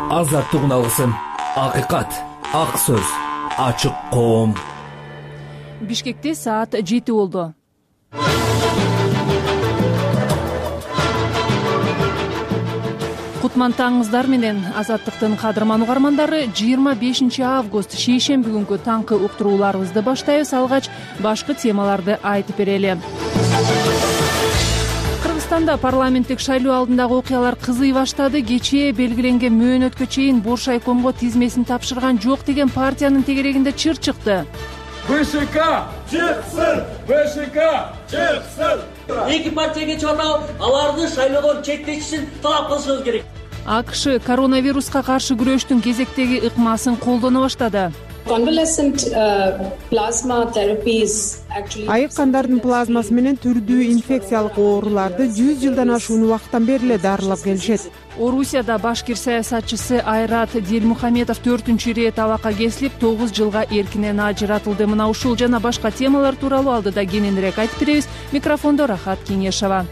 азаттыгын алсын. Акыйкат, ак сөз, ачык коом. Бишкекте саат 7 болду. Кутман таңыңыздар менен. Азаттыктын кадырман угармандары, 25 август шейшемби күнгү таңкы уктурууларыбызды баштайбыз. Алгач башкы темаларды айтып берели. Кыргызстанда парламенттик шайлоо алдындагы окуялар кызый баштады. Кечээ белгиленген мөөнөткө чейин Боршайкомго тизмесин тапшырган жок деген партиянын тегерегинде чыр чыкты. БШК чыксын! БШК чыксын! Эки партияга чыгарып, аларды шайлоодон четтетишин талап кылышыбыз керек. АКШ коронавируска каршы күрөштүн кезектеги ыкмасын колдоно баштады. Айык кандардын плазмасы менен түрдүү инфекциялык ооруларды 100 жылдан ашуун убакыттан бери эле дарылап келишет. Орусияда башкир саясатчысы Айрат Дилмухаметов 4-чү ирет абакка кесилип 9 жылга эркинен ажыратылды. Мына ушул жана башка темалар тууралуу алдыда кененирээк айтып беребиз. Микрофондо Рахат Кеңешова.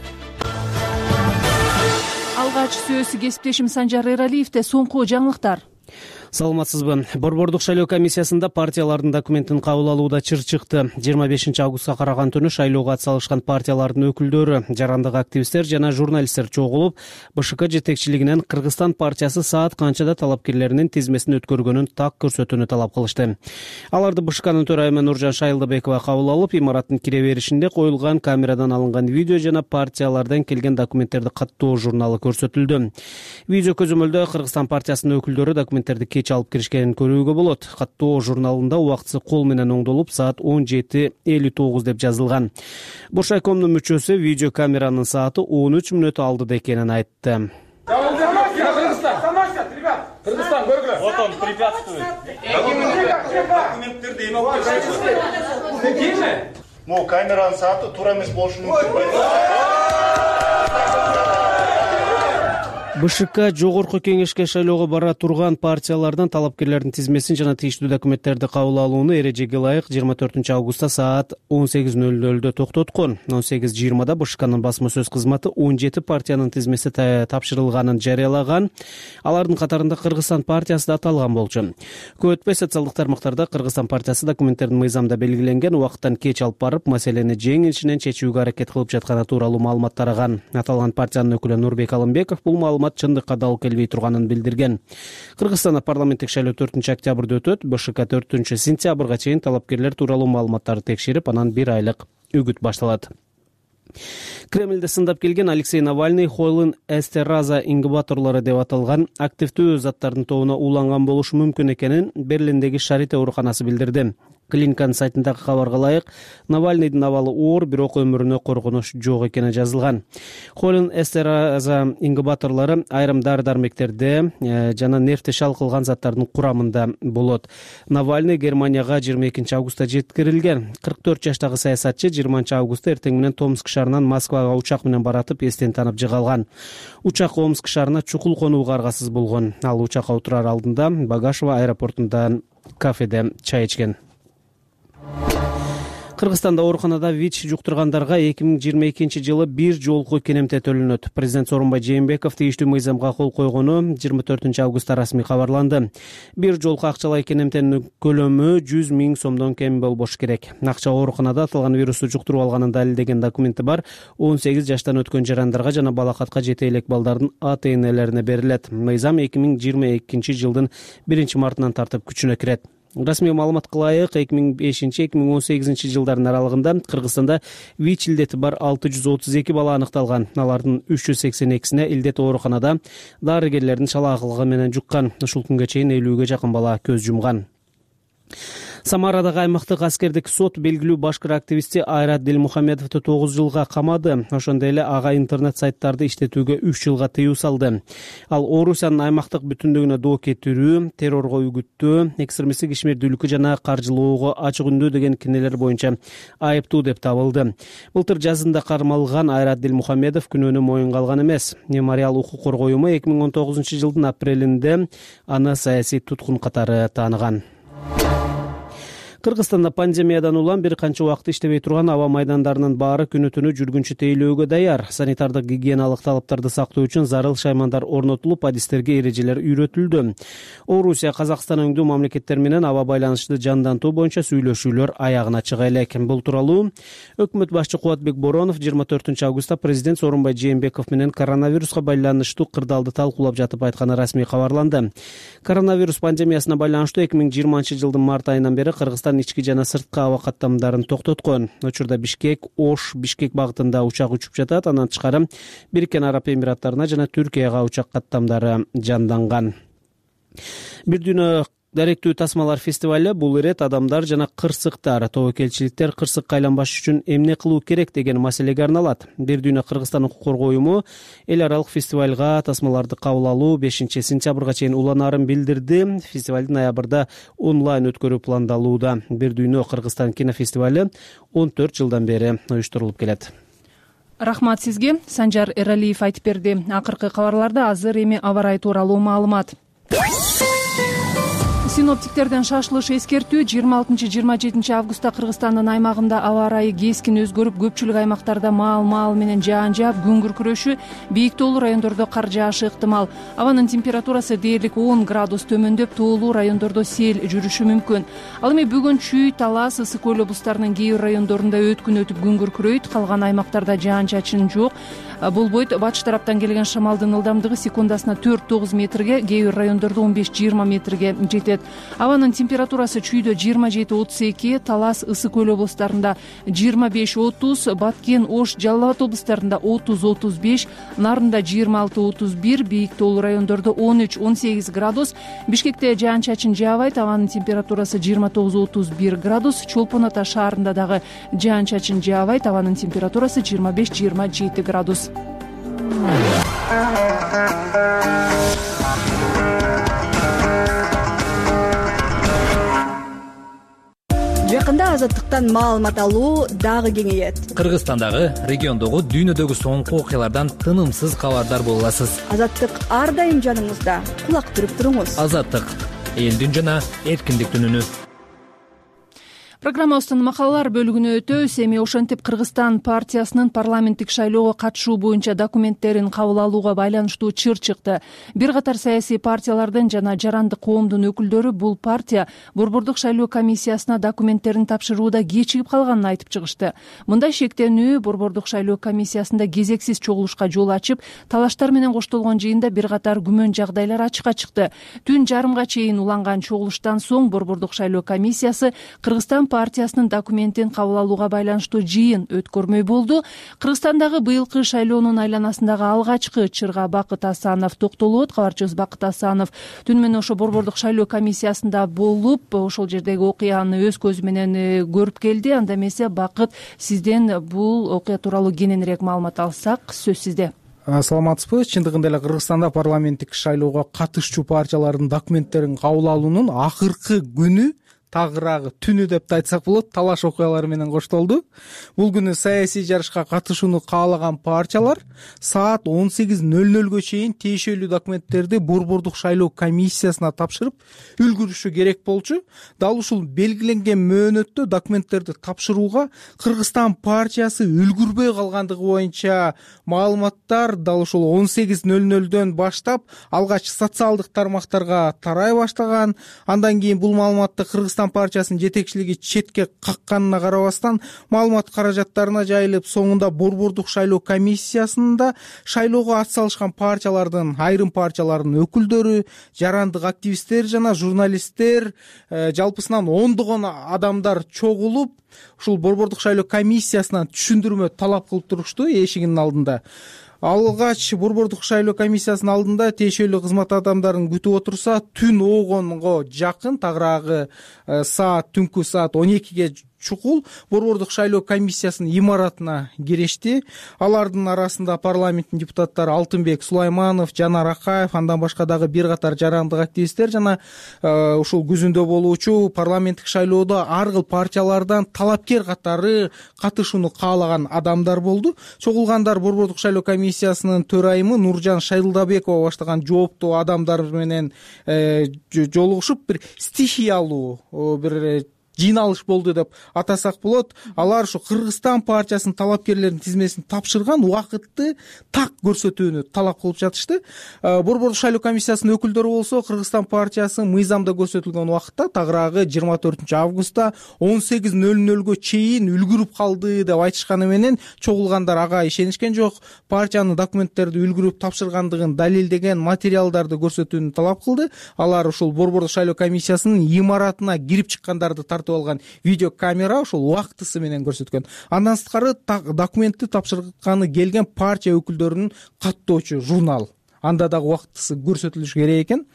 Алгач сөз кесиптешим Санжар Эралиевде. Соңку жаңылыктар. Саламатсызбы. Борбордук шайлоо комиссиясында партиялардын документин кабыл алууда чыр чыкты. 25 августка караган түнү шайлоого атсалышкан партиялардын өкүлдөрү, жарандык активисттер жана журналисттер чогулуп, БШК жетекчилигинен Кыргызстан партиясы саат канчада талапкерлеринин тизмесин өткөргөнүн так көрсөтүүнү талап кылышты. Аларды БШКнын төрайымы Нуржан Шайылдыбекова кабыл алып, имараттын кире беришинде коюлган камерадан алынган видео жана партиялардан келген документтерди каттоо журналы көрсөтүлдү. Видео көзөмөлдө Кыргызстан партиясынын өкүлдөрү документтерди кеч алып киришкенин көрүүгө болот. Каттоо журналында убактысы кол менен оңдолуп саат 17:59 деп жазылган. Боршайкомдун мүчөсү видео камеранын сааты 13 мүнөт алдыда экенин айтты. Кыргызстан көргүлө. Вот он препятствует. Документтерди эме алып келишет. Кийме? Могу камеранын сааты туура эмес болушу мүмкүн. БШК жогорку кеңешке шайлоого бара турган партиялардан талапкерлердин тизмесин жана тийиштүү документтерди кабыл алууну эрежеге ылайык 24 августта саат 18:00 токтоткон. 18:20 БШКнын басма сөз кызматы 17 партиянын тизмеси тапшырылганын жарыялаган. Алардын катарында Кыргызстан партиясы да аталган болчу. Көп өтпөй социалдык тармактарда Кыргызстан партиясы документтердин мыйзамда белгиленген убакыттан кеч алып барып, маселени жеңилишинен чечүүгө аракет кылып жатканы тууралуу маалымат тараган. Аталган партиянын өкүлү Нурбек Алымбеков бул маалымат чындыкка дал келбей турганын билдирген. Кыргызстанда парламенттик шайлоо 4-октябрда өтөт. БШК 4-сентябрга чейин талапкерлер тууралуу маалыматтарды текшерип, анан 1 айлык үгүт башталат. Кремльде сындап келген Алексей Навальный Хойлун эстераза ингубаторлору деп аталган активдүү заттардын тобуна ууланган болушу мүмкүн экенин Берлиндеги Шарите ооруканасы билдирди. Клиниканын сайтындагы кабарга ылайык, Навальныйдын абалы оор, бирок өмүрүнө коркунуч жок экени жазылган. Хойлун эстераза ингубаторлору айрым дары-дармектерде жана нервти шалкылган заттардын курамында болот. Навальный Германияга 22 августта жеткирилген. 44 жаштагы саясатчы 20 августта эртең менен Томск шаарынан Москвага учак менен баратып эстен танып жыгалган. Учак Омск шаарына чукул конууга аргасыз болгон. Ал учакка отурар алдында Багашова аэропортунда кафеде чай ичкен. Кыргызстанда ооруканада ВИЧ жуктургандарга 2022 жылы бир жолку кенемте төлөнөт. Президент Сооронбай Жээнбеков тийиштүү мыйзамга кол койгону 24 августта расмий кабарланды. Бир жолку акчалай кенемтенин көлөмү 100 000 сомдон кем болбош керек. Акча ооруканада аталган вирусту жуктуруп алганын далилдеген документи бар 18 жаштан өткөн жарандарга жана балакатка жете элек балдардын ата-энелерине берилет. Мыйзам 2022 жылдын 1-мартынан тартып күчүнө кирет. Расмий маалыматка ылайык 2005-2018 жылдардын аралыгында Кыргызстанда ВИЧ илдети бар 632 бала аныкталган. Алардын 382сине илдет ооруканада дарыгерлердин шалаагылыгы менен жуккан. Ушул күнгө чейин 50ге жакын бала көз жумган. Самарадагы аймактык аскердик сот белгилүү башкыр активисти Айрат Дилмухаметовду 9 жылга камады. Ошондой эле ага интернет сайттарды иштетүүгө 3 жылга тыюу салды. Ал Орусиянын аймактык бүтүндүгүнө доо кетирүү, террорго үгүттөө, экстремисттик ишмердүүлүккө жана каржылоого ачык үндүү деген кинелер боюнча айыптуу деп табылды. Былтыр жазында кармалган Айрат Дилмухаметов күнөөнү моюнга алган эмес. Мемориал укук коргоо уюму 2019 жылдын апрелинде аны саясий туткун катары тааныган. Кыргызстанда пандемиядан улам бир канча убакыт иштебей турган аба майдандарынын баары күнү түнү жүргүнчү тейлөөгө даяр. Санитардык гигиеналык талаптарды сактоо үчүн зарыл шаймандар орнотулуп, адистерге эрежелер үйрөтүлдү. Орусия, Казакстан өңдүү мамлекеттер менен аба байланышты жандантуу боюнча сүйлөшүүлөр аягына чыга элек. Бул тууралуу өкмөт башчы Кубатбек Боронов 24 августта президент Сооронбай Жээнбеков менен коронавируска байланыштуу кырдаалды талкуулап жатып айтканы расмий кабарланды. Коронавирус пандемиясына байланыштуу 2020 март айынан бери Кыргызстан ички жана сырткы аба каттамдарын токтоткон. Учурда Бишкек, Ош, Бишкек багытында учак учуп жатат. Андан тышкары Бириккен Араб Эмираттарына жана Түркияга учак каттамдары жанданган. Бир дүйнө даректүү тасмалар фестивалы бул ирет адамдар жана кырсыктар, тобокелчиликтер кырсыкка айланбаш үчүн эмне кылуу керек деген маселеге арналат. Бир дүйнө Кыргызстан укук коргоо уюму эл аралык фестивалга тасмаларды кабыл алуу 5 сентябрга чейин уланаарын билдирди. Фестивалды ноябрда онлайн өткөрүү пландалууда. Бир дүйнө Кыргызстан кинофестивалы 14 жылдан бери уюштурулуп келет. Рахмат сизге. Санжар Эралиев айтып берди. Акыркы кабарларда азыр эми аба ырайы тууралуу маалымат. Синоптиктерден шашылыш эскертүү 26-27 августта Кыргызстандын аймагында аба ырайы кескин өзгөрүп, көпчүлүк аймактарда маал менен жаан жаап, күн күркүрөшү, бийик тоолуу райондордо кар жаашы ыктымал. Абанын температурасы дээрлик 10 градус төмөндөп, тоолуу райондордо сел жүрүшү мүмкүн. Ал эми бүгүн Чүй, Талас, Ысык көл облустарынын кээ бир райондорунда өткүн өтүп күн күркүрөйт, калган аймактарда жаан чачын жок. Болбойт. Батыш тараптан келген шамалдын ылдамдыгы секундасына 4-9 метрге, кээ бир райондордо 15-20 метрге жетет. Абанын температурасы Чүйдө 27-32, Талас, Ысык көл облустарында 25-30, Баткен, Ош, Жалал Абад облустарында 30-35, Нарында 26-31, бийик тоолуу райондордо 13-18 градус. Бишкекте жаан чачын жаабайт, абанын температурасы 29-31 градус. Чолпон Ата шаарында дагы жаан чачын жаабайт, абанын температурасы 25-27 градус. Жакында азаттыктан маалымат алуу дагы кеңейет. Кыргызстандагы, региондогу, дүйнөдөгү соңку окуялардан тынымсыз кабардар боло аласыз. Азаттык ар дайым жаныңызда. Кулак түрүп туруңуз. Азаттык, элдин жана эркиндиктин үнү. Программабыздын макалалар бөлүгүнө өтөбүз. Эми ошентип Кыргызстан партиясынын парламенттик шайлоого катышуу боюнча документтерин кабыл алууга байланыштуу чыр чыкты. Бир катар саясий партиялардын жана жарандык коомдун өкүлдөрү бул партия борбордук шайлоо комиссиясына документтерин тапшырууда кечигип калганын айтып чыгышты. Мындай шектенүү борбордук шайлоо комиссиясында кезексиз чогулушка жол ачып, талаштар менен коштолгон жыйында бир катар күмөн жагдайлар ачыкка чыкты. Түн жарымга чейин уланган чогулуштан соң борбордук шайлоо комиссиясы Кыргызстан партиясынын документин кабыл алууга байланыштуу жыйын өткөрмөй болду. Кыргызстандагы быйылкы шайлоонун айланасындагы алгачкы чырга Бакыт Асанов токтолот. Кабарчыбыз Бакыт Асанов түн менен ошо борбордук шайлоо комиссиясында болуп, ошол жердеги окуяны өз көзү менен көрүп келди. Анда эмесе Бакыт, сизден бул окуя тууралуу кененирээк маалымат алсак, сөз сизде. Саламатсызбы? Чындыгында эле Кыргызстанда парламенттик шайлоого катышчу партиялардын документтерин кабыл алуунун акыркы күнү, тагыраагы түнү деп да айтсак болот, талаш окуялары менен коштолду. Бул күнү саясий жарышка катышууну каалаган партиялар саат 18:00 чейин тиешелүү документтерди борбордук шайлоо комиссиясына тапшырып үлгүрүшү керек болчу. Дал ушул белгиленген мөөнөттө документтерди тапшырууга Кыргызстан партиясы үлгүрбөй калгандыгы боюнча маалыматтар дал ушул 18:00дөн баштап алгач социалдык тармактарга тарай баштаган. Андан кийин бул маалыматты Кыргызстан партиясынын жетекчилиги четке какканына карабастан маалымат каражаттарына жайылып, соңунда борбордук шайлоо комиссиясында шайлоого ат салышкан партиялардын, айрым партиялардын өкүлдөрү, жарандык активисттер жана журналисттер, жалпысынан ондогон адамдар чогулуп, ушул борбордук шайлоо комиссиясынан түшүндүрмө талап кылып турушту эшигинин алдында. Алгач борбордук шайлоо комиссиясынын алдында тиешелүү кызмат адамдарын күтүп отурса, түн оогонго жакын, тагыраагы түнкү саат 12ге чукул борбордук шайлоо комиссиясынын имаратына киришти. Алардын арасында парламенттин депутаттары Алтынбек Сулайманов, Жанар Акаев, андан башка дагы бир катар жарандык активисттер жана ушул күзүндө болуучу парламенттик шайлоодо ар кыл партиялардан талапкер катары катышууну каалаган адамдар болду. Чогулгандар борбордук шайлоо комиссиясынын төрайымы Нуржан Шайылдабекова баштаган жооптуу адамдар менен жолугушуп, бир стихиялуу, бир жыйналыш болду деп атасак болот. Алар ушу Кыргызстан партиясынын талапкерлеринин тизмесин тапшырган убакытты так көрсөтүүнү талап кылып жатышты. Борбордук шайлоо комиссиясынын өкүлдөрү болсо Кыргызстан партиясы мыйзамда көрсөтүлгөн убакытта тагыраагы 24 августта 18:00 чейин үлгүрүп калды деп айтышканы менен чогулгандар ага ишенишкен жок. Партиянын документтерди үлгүрүп тапшыргандыгын далилдеген материалдарды көрсөтүүнү талап кылды. Алар ушул Борбордук шайлоо комиссиясынын имаратына кирип чыккандарды тартып алган видео камера ушул убактысы менен көрсөткөн. Андан сырткары документти тапшырганы келген партия өкүлдөрүнүн каттоочу журнал. Анда дагы убактысы көрсөтүлүш керек экен.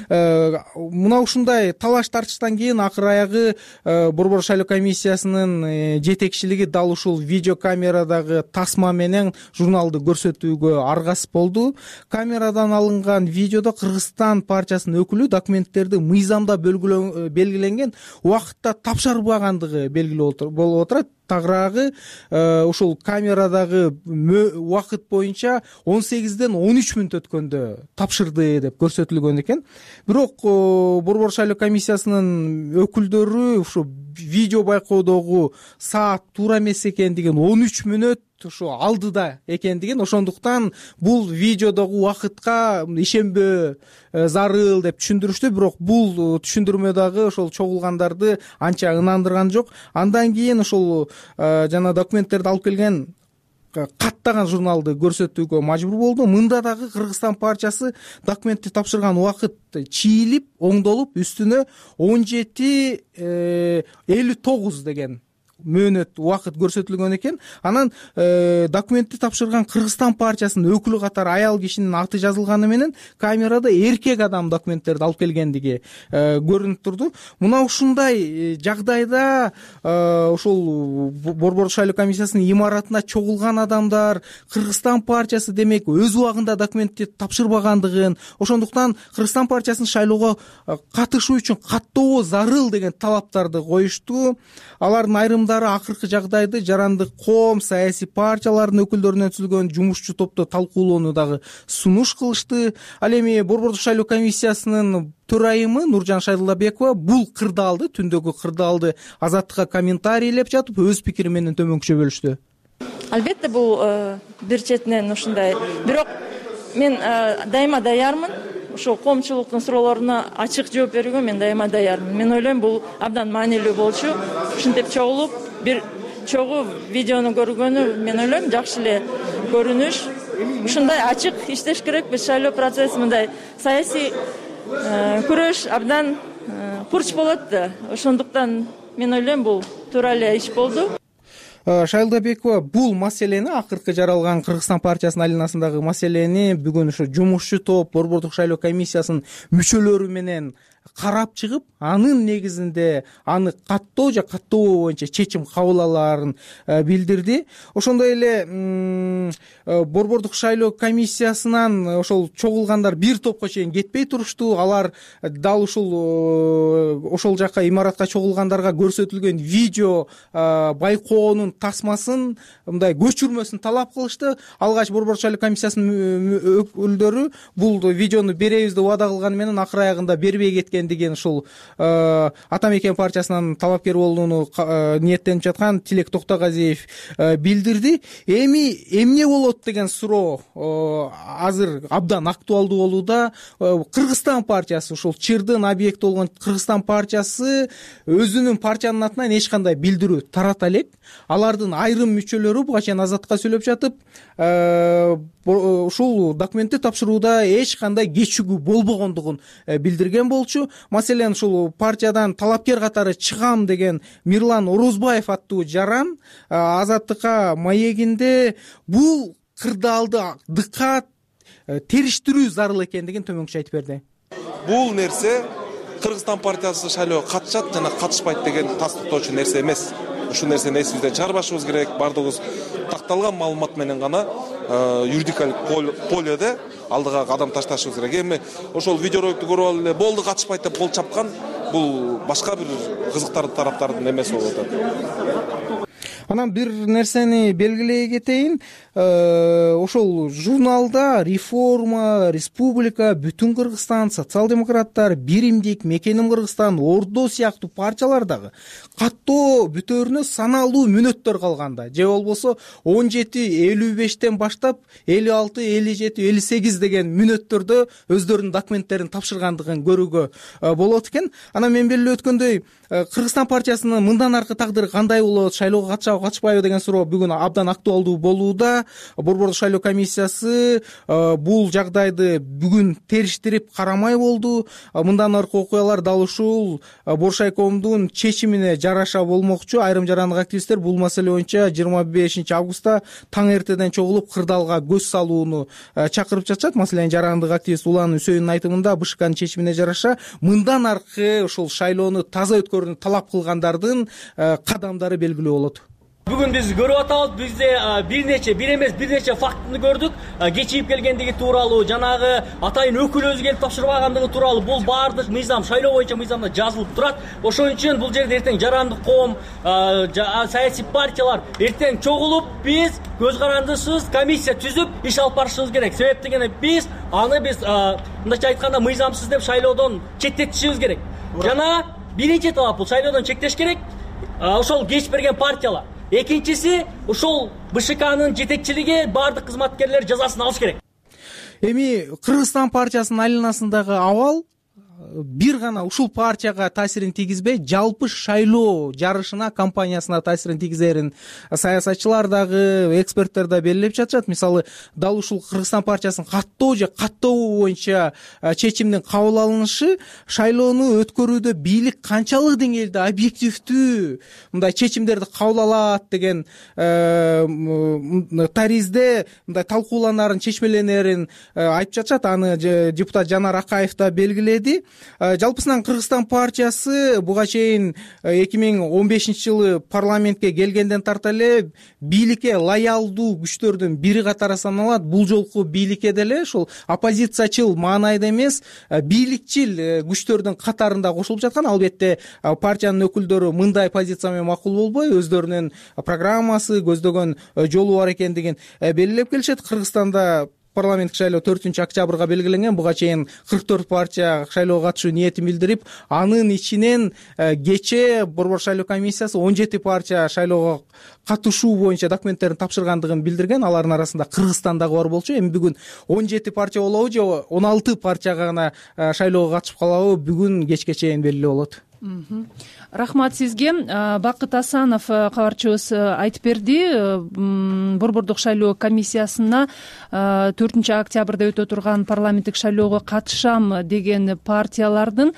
Мына ушундай талаш тартыштан кийин акыр аягы Борбордук шайлоо комиссиясынын жетекчилиги дал ушул видео камерадагы тасма менен журналды көрсөтүүгө аргасыз болду. Камерадан алынган видеодо Кыргызстан партиясынын өкүлү документтерди мыйзамда белгиленген убакытта тапшырбагандыгы белгилүү болуп отурат. Тагыраагы ушул камерадагы убакыт боюнча 18ден 13 мүнөт өткөндө тапшырды деп көрсөтүлгөн экен. Бирок Борбордук шайлоо комиссиясынын өкүлдөрү ушу видео байкоодогу саат туура эмес экендигин, 13 мүнөт ушу алдыда экендигин, ошондуктан бул видеодогу убакытка ишенбөө зарыл деп түшүндүрүштү. Бирок бул түшүндүрмө дагы ошол чогулгандарды анча ынандырган жок. Андан кийин ошол жана документтерди алып келген каттаган журналды көрсөтүүгө мажбур болду. Мында дагы Кыргызстан партиясы документти тапшырган убакыт чийилип, оңдолуп, үстүнө 17:59 деген мөөнөт убакыт көрсөтүлгөн экен. Анан документти тапшырган Кыргызстан партиясынын өкүлү катары аял кишинин аты жазылганы менен камерада эркек адам документтерди алып келгендиги көрүнүп турду. Мына ушундай жагдайда ушул Борбордук шайлоо комиссиясынын имаратына чогулган адамдар Кыргызстан партиясы демек өз убагында документти тапшырбагандыгын, ошондуктан Кыргызстан партиясынын шайлоого катышуу үчүн каттоо зарыл деген талаптарды коюшту. Алардын айрым акыркы жагдайды жарандык коом, саясий партиялардын өкүлдөрүнөн түзүлгөн жумушчу топто талкуулоону дагы сунуш кылышты. Ал эми Борбордук шайлоо комиссиясынын төрайымы Нуржан Шайдуллабекова бул кырдаалды, түндөгү кырдаалды Азаттыкка комментарийлеп жатып, өз пикири менен төмөнкүчө бөлүштү. Албетте бул бир четинен ушундай. Бирок мен дайыма даярмын. Ошол коомчулуктун суроолоруна ачык жооп берүүгө мен дайыма даярмын. Мен ойлойм бул абдан маанилүү болчу. Ушинтип чогулуп бир чогуу видеону көргөнү мен ойлойм жакшы эле көрүнүш. Ушундай ачык иштеш керек. Биз шайлоо процесси мындай саясий күрөш абдан курч болот да. Ошондуктан мен ойлойм бул туура эле иш болду. Шайлдабекова бул маселени, акыркы жаралган Кыргызстан партиясынын алинасындагы маселени бүгүн ушу жумушчу топ Борбордук шайлоо комиссиясынын мүчөлөрү менен карап чыгып, анын негизинде аны каттоо же каттообоо боюнча чечим кабыл алаарын билдирди. Ошондой эле Борбордук шайлоо комиссиясынан ошол чогулгандар бир топко чейин кетпей турушту. Алар дал ошол жака имаратка чогулгандарга көрсөтүлгөн видео байкоонун тасмасын, мындай көчүрмөсүн талап кылышты. Алгач Борбордук шайлоо комиссиясынын өкүлдөрү бул видеону беребиз деп убада кылганы менен акыр аягында бербей кеткендигин ушул Ата Мекен партиясынан талапкер болууну ниеттенип жаткан Тилек Токтогазиев билдирди. Эми эмне болот деген суроо азыр абдан актуалдуу болууда. Кыргызстан партиясы, ушул чырдын объекти болгон Кыргызстан партиясы өзүнүн партиянын атынан эч кандай билдирүү тарата элек. Алардын айрым мүчөлөрү буга чейин Азаттыкка сүйлөп жатып, ушул документти тапшырууда эч кандай кечигүү болбогондугун билдирген болчу. Маселен ушул партиядан талапкер катары чыгам деген Мирлан Орозбаев аттуу жаран Азаттыкка маегинде бул кырдаалды дыккат териштирүү зарыл экендигин төмөнкүчө айтып берди. Бул нерсе Кыргызстан партиясы шайлоого катышат жана катышпайт деген тастыктоочу нерсе эмес. Ушул нерсени эсибизден чыгарбашыбыз керек. Бардыгыбыз такталган маалымат менен гана юридикалык поледе алдыга кадам ташташыбыз керек. Эми ошол видеороликтти көрүп алып эле болду катышпайт деп кол чапкан бул башка бир кызыктардын тараптардын эмеси болуп атат. Анан бир нерсени белгилей кетейин, ошол журналда Реформа, Республика, Бүтүн Кыргызстан, Социал-демократтар, Биримдик, Мекеним Кыргызстан, Ордо сыяктуу партиялар дагы каттоо бүтөөрүнө саналуу мүнөттөр калганда, же болбосо 17-55 баштап 56-57-58 деген мүнөттөрдө өздөрүнүн документтерин тапшыргандыгын көрүүгө болот экен. Анан мен белгилеп өткөндөй, Кыргызстан партиясынын мындан аркы тагдыры кандай болот, шайлоого катышабы катышпайбы деген суроо бүгүн абдан актуалдуу болууда. Борбордук шайлоо комиссиясы бул жагдайды бүгүн териштирип карамай болду. Мындан аркы окуялар дал ушул Боршайкомдун чечимине жараша болмокчу. Айрым жарандык активисттер бул маселе боюнча 25 августта таң эртеден чогулуп кырдаалга көз салууну чакырып жатышат. Маселен, жарандык активист Улан Үсөйүндүн айтымында БШКнын чечимине жараша мындан аркы ушул шайлоону таза өткөрүүнү талап кылгандардын кадамдары белгилүү болот. Бүгүн биз көрүп атабыз, бизде бир эмес бир нече фактыны көрдүк. Кечип келгендиги тууралуу, жанагы атайын өкүл өзү келип тапшырбагандыгы тууралуу бул баардык мыйзам, шайлоо боюнча мыйзамда жазылып турат. Ошон үчүн бул жерде эртең жарандык коом, саясий партиялар эртең чогулуп, биз көз карандысыз комиссия түзүп иш алып барышыбыз керек. Себеп дегенде биз мындайча айтканда мыйзамсыз деп шайлоодон четтетишибиз керек. Жана биринчи талап бул шайлоодон чектеш керек. Ошол кеч берген партиялар. Экинчиси, ушул БШКнын жетекчилиги баардык кызматкерлер жазасын алыш керек. Эми Кыргызстан партиясынын айланасындагы абал бир гана ушул партияга таасирин тийгизбей, жалпы шайлоо жарышына, кампаниясына таасирин тийгизерин саясатчылар дагы, эксперттер да белгилеп жатышат. Мисалы, дал ушул Кыргызстан партиясынын каттоо же каттообу боюнча чечимдин кабыл алынышы шайлоону өткөрүүдө бийлик канчалык деңгээлде объективдүү мындай чечимдерди кабыл алат деген таризде мындай талкууланарын, чечмеленерин айтып жатышат. Аны депутат Жанар Акаев да белгиледи. Жалпысынан Кыргызстан партиясы буга чейин 2015-жылы парламентке келгенден тарта эле бийликке лоялдуу күчтөрдүн бири катары саналат. Бул жолку бийликке деле ушул оппозициячыл маанайда эмес, бийликчил күчтөрдүн катарында кошулуп жаткан. Албетте партиянын өкүлдөрү мындай позиция менен макул болбой, өздөрүнүн программасы, көздөгөн жолу бар экендигин белгилеп келишет. Кыргызстанда парламенттик шайлоо 4-октябрга белгиленген. Буга чейин 44 партия шайлоого катышуу ниетин билдирип, анын ичинен кечээ Борбор шайлоо комиссиясы 17 партия шайлоого катышуу боюнча документтерин тапшыргандыгын билдирген. Алардын арасында Кыргызстан дагы бар болчу. Эми бүгүн 17 партия болобу же 16 партия гана шайлоого катышып калабы, бүгүн кечке чейин белгилүү болот. Рахмат сизге. Бакыт Асанов кабарчыбыз айтып берди. Борбордук шайлоо комиссиясына 4-октябрда өтө турган парламенттик шайлоого катышам деген партиялардын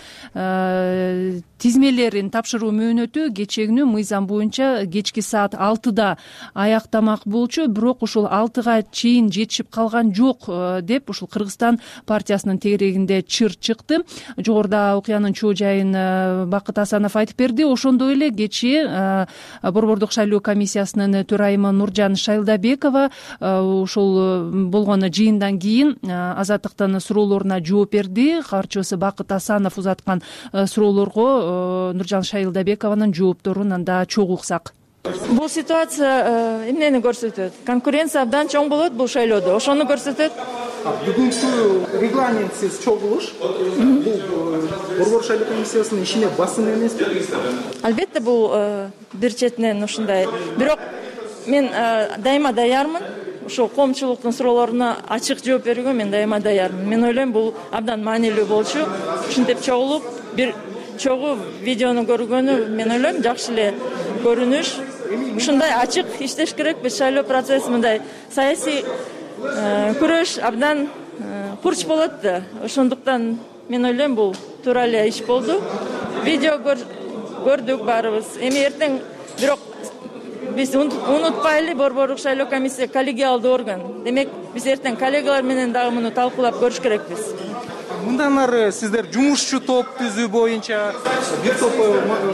тизмелерин тапшыруу мөөнөтү кечээ мыйзам боюнча кечки саат 6-да аяктамак болчу. Бирок ушул 6-га чейин жетишип калган жок деп ушул Кыргызстан партиясынын тегерегинде чыр чыкты. Жогоруда окуянын чоо жайын Бакыт Асанов айтып берди. Ошондой эле кечээ Борбордук шайлоо комиссиясынын төрайымы Нуржан Шайлдабекова ушул болгон жыйындан кийин Азаттыктын суроолоруна жооп берди. Кабарчыбыз Бакыт Асанов узаткан суроолорго Нуржан Шайлдабекованын жоопторун анда чогуу уксак. Бул ситуация эмнени көрсөтөт? Конкуренция абдан чоң болот бул шайлоодо. Ошону көрсөтөт. Бүгүнкү регламентсиз чогулуш бул Борбор шайлоо комиссиясынын ишине басым эмеспи? Албетте бул бир четинен ушундай. Бирок мен дайыма даярмын. Ошол коомчулуктун суроолоруна ачык жооп берүүгө мен дайыма даярмын. Мен ойлойм бул абдан маанилүү болчу. Ушинтип чогулуп бир чогуу видеону көргөнү мен ойлойм жакшы эле көрүнүш. Ушундай ачык иштеш керек. Биз шайлоо процесси мындай саясий күрөш абдан курч болот да. Ошондуктан мен ойлойм бул туура эле иш болду. Видео көрдүк баарыбыз. Эми эртең бирок биз унутпайлы, Борборлук шайлоо комиссия коллегиалдуу орган. Демек биз эртең коллегалар менен дагы муну талкуулап көрүш керекпиз. Мындан ары сиздер жумушчу топ түзүү боюнча бир топ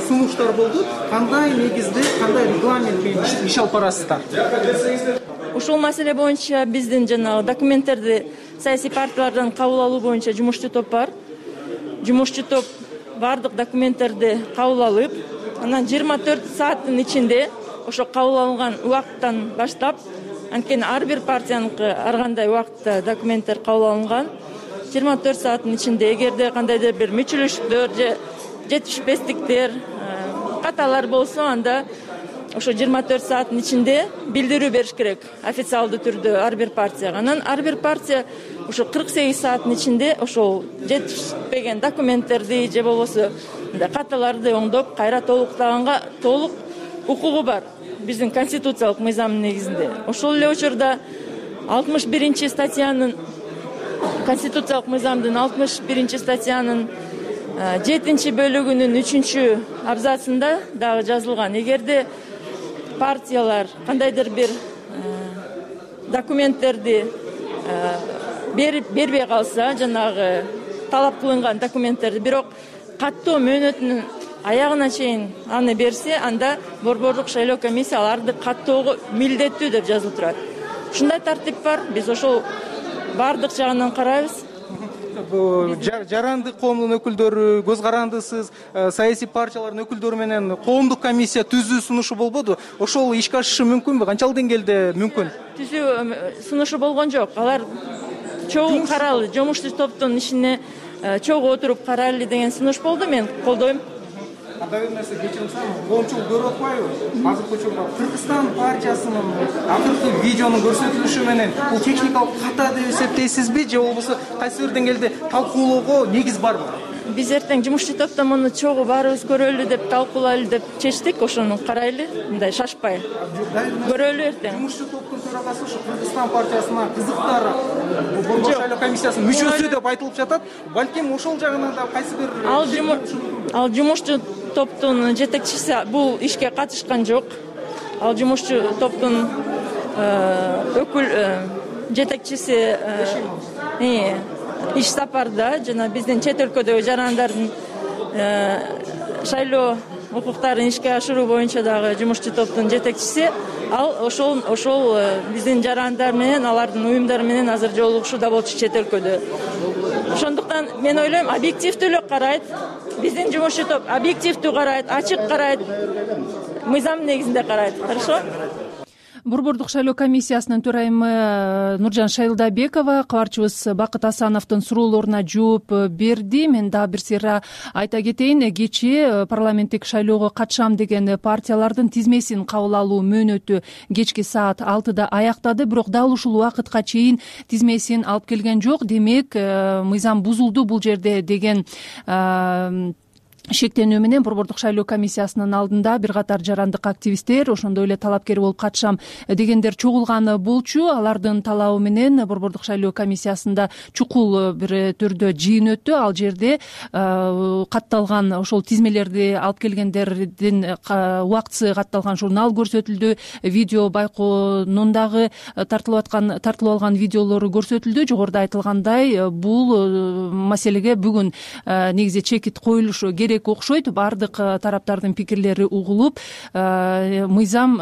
сунуштар болду. Кандай негизде, кандай регламент менен иш алып барасыздар? Ушул маселе боюнча биздин жанагы документтерди саясий партиялардан кабыл алуу боюнча жумушчу топ бар. Жумушчу топ бардык документтерди кабыл алып, анан 24 сааттын ичинде ошо кабыл алынган убакыттан баштап, анткени ар бир партияныкы ар кандай убакытта документтер кабыл алынган, 24 сааттын ичинде эгерде кандайдыр бир мүчүлүштүктөр же жетишпестиктер, каталар болсо, анда ошо 24 сааттын ичинде билдирүү бериш керек официалдуу түрдө ар бир партияга. Анан ар бир партия ошо 48 сааттын ичинде ошол жетишпеген документтерди же болбосо каталарды оңдоп кайра толуктаганга толук укугу бар биздин конституциялык мыйзамдын негизинде. Ошол эле учурда 61 статьянын конституциялык мыйзамдын 61 статьянын 7 бөлүгүнүн 3 абзацында дагы жазылган. Эгерде партиялар кандайдыр бир документтерди бербей калса, жанагы талап кылынган документтерди, бирок каттоо мөөнөтүнүн аягына чейин аны берсе, анда борбордук шайлоо комиссия аларды каттоого милдеттүү деп жазылып турат. Ушундай тартип бар. Биз ошол бардык жагынан карайбыз. Жарандык коомдун өкүлдөрү, көз карандысыз саясий партиялардын өкүлдөрү менен коомдук комиссия түзүү сунушу болбоду. Ошол ишке ашышы мүмкүнбү? Канчалык деңгээлде мүмкүн? Түзүү сунушу болгон жок. Алар чогуу карайлы, жумуштуу топтун ишине чогуу отуруп карайлы деген сунуш болду. Мен колдойм. Анда бир нерсе кечирсем, коомчулук көрүп атпайбы? Азыркы учурда Кыргызстан партиясынын акыркы видеонун көрсөтүлүшү менен бул техникалык ката деп эсептейсизби, же болбосо кайсы бир деңгээлде талкуулоого негиз барбы? Биз эртең жумуштуу топто муну чогуу баарыбыз көрөлү деп, талкуулайлы деп чечтик. Ошону карайлы, мындай шашпай көрөлү эртең. Жумуштуу топтун төрагасы ушу Кыргызстан партиясына кызыктар борбор шайлоо комиссиясынын мүчөсү деп айтылып жатат. Балким ошол жагынан да кайсы бир ал жумуштуу топтун жетекчиси бул ишке катышкан жок. Ал жумуштуу топтун жетекчиси иш сапарда, жана биздин чет өлкөдөгү жарандардын шайлоо укуктарын ишке ашыруу боюнча дагы жумуштуу топтун жетекчиси. Ал ошол биздин жарандар менен, алардын уюмдары менен азыр жолугушууда болчу чет өлкөдө. Ошондуктан мен ойлойм, объективдүү эле карайт. Биздин жумуштуу топ объективдүү карайт, ачык карайт, мыйзам негизинде карайт. Хорошо? Борбордук шайлоо комиссиясынын төрайымы Нуржан Шайлдабекова кабарчыбыз Бакыт Асановдун суроолоруна жооп берди. Мен дагы бир сыйра айта кетейин. Кечээ парламенттик шайлоого катышам деген партиялардын тизмесин кабыл алуу мөөнөтү кечки саат 6-да аяктады, бирок дал ушул убакытка чейин тизмесин алып келген жок. Демек, мыйзам бузулду бул жерде деген шектенүү менен Борбордук шайлоо комиссиясынын алдында бир катар жарандык активисттер, ошондой эле талапкер болуп катышам дегендер чогулган болчу. Алардын талабы менен Борбордук шайлоо комиссиясында чукул бир түрдө жыйын өттү. Ал жерде катталган ошол тизмелерди алып келгендердин убактысы катталган журнал көрсөтүлдү. Видео байкоонун дагы тартылып алган видеолору көрсөтүлдү. Жогоруда айтылгандай, бул маселеге бүгүн негизи чекит коюлушу керек окшойт. Бардык тараптардын пикирлери угулуп, мыйзам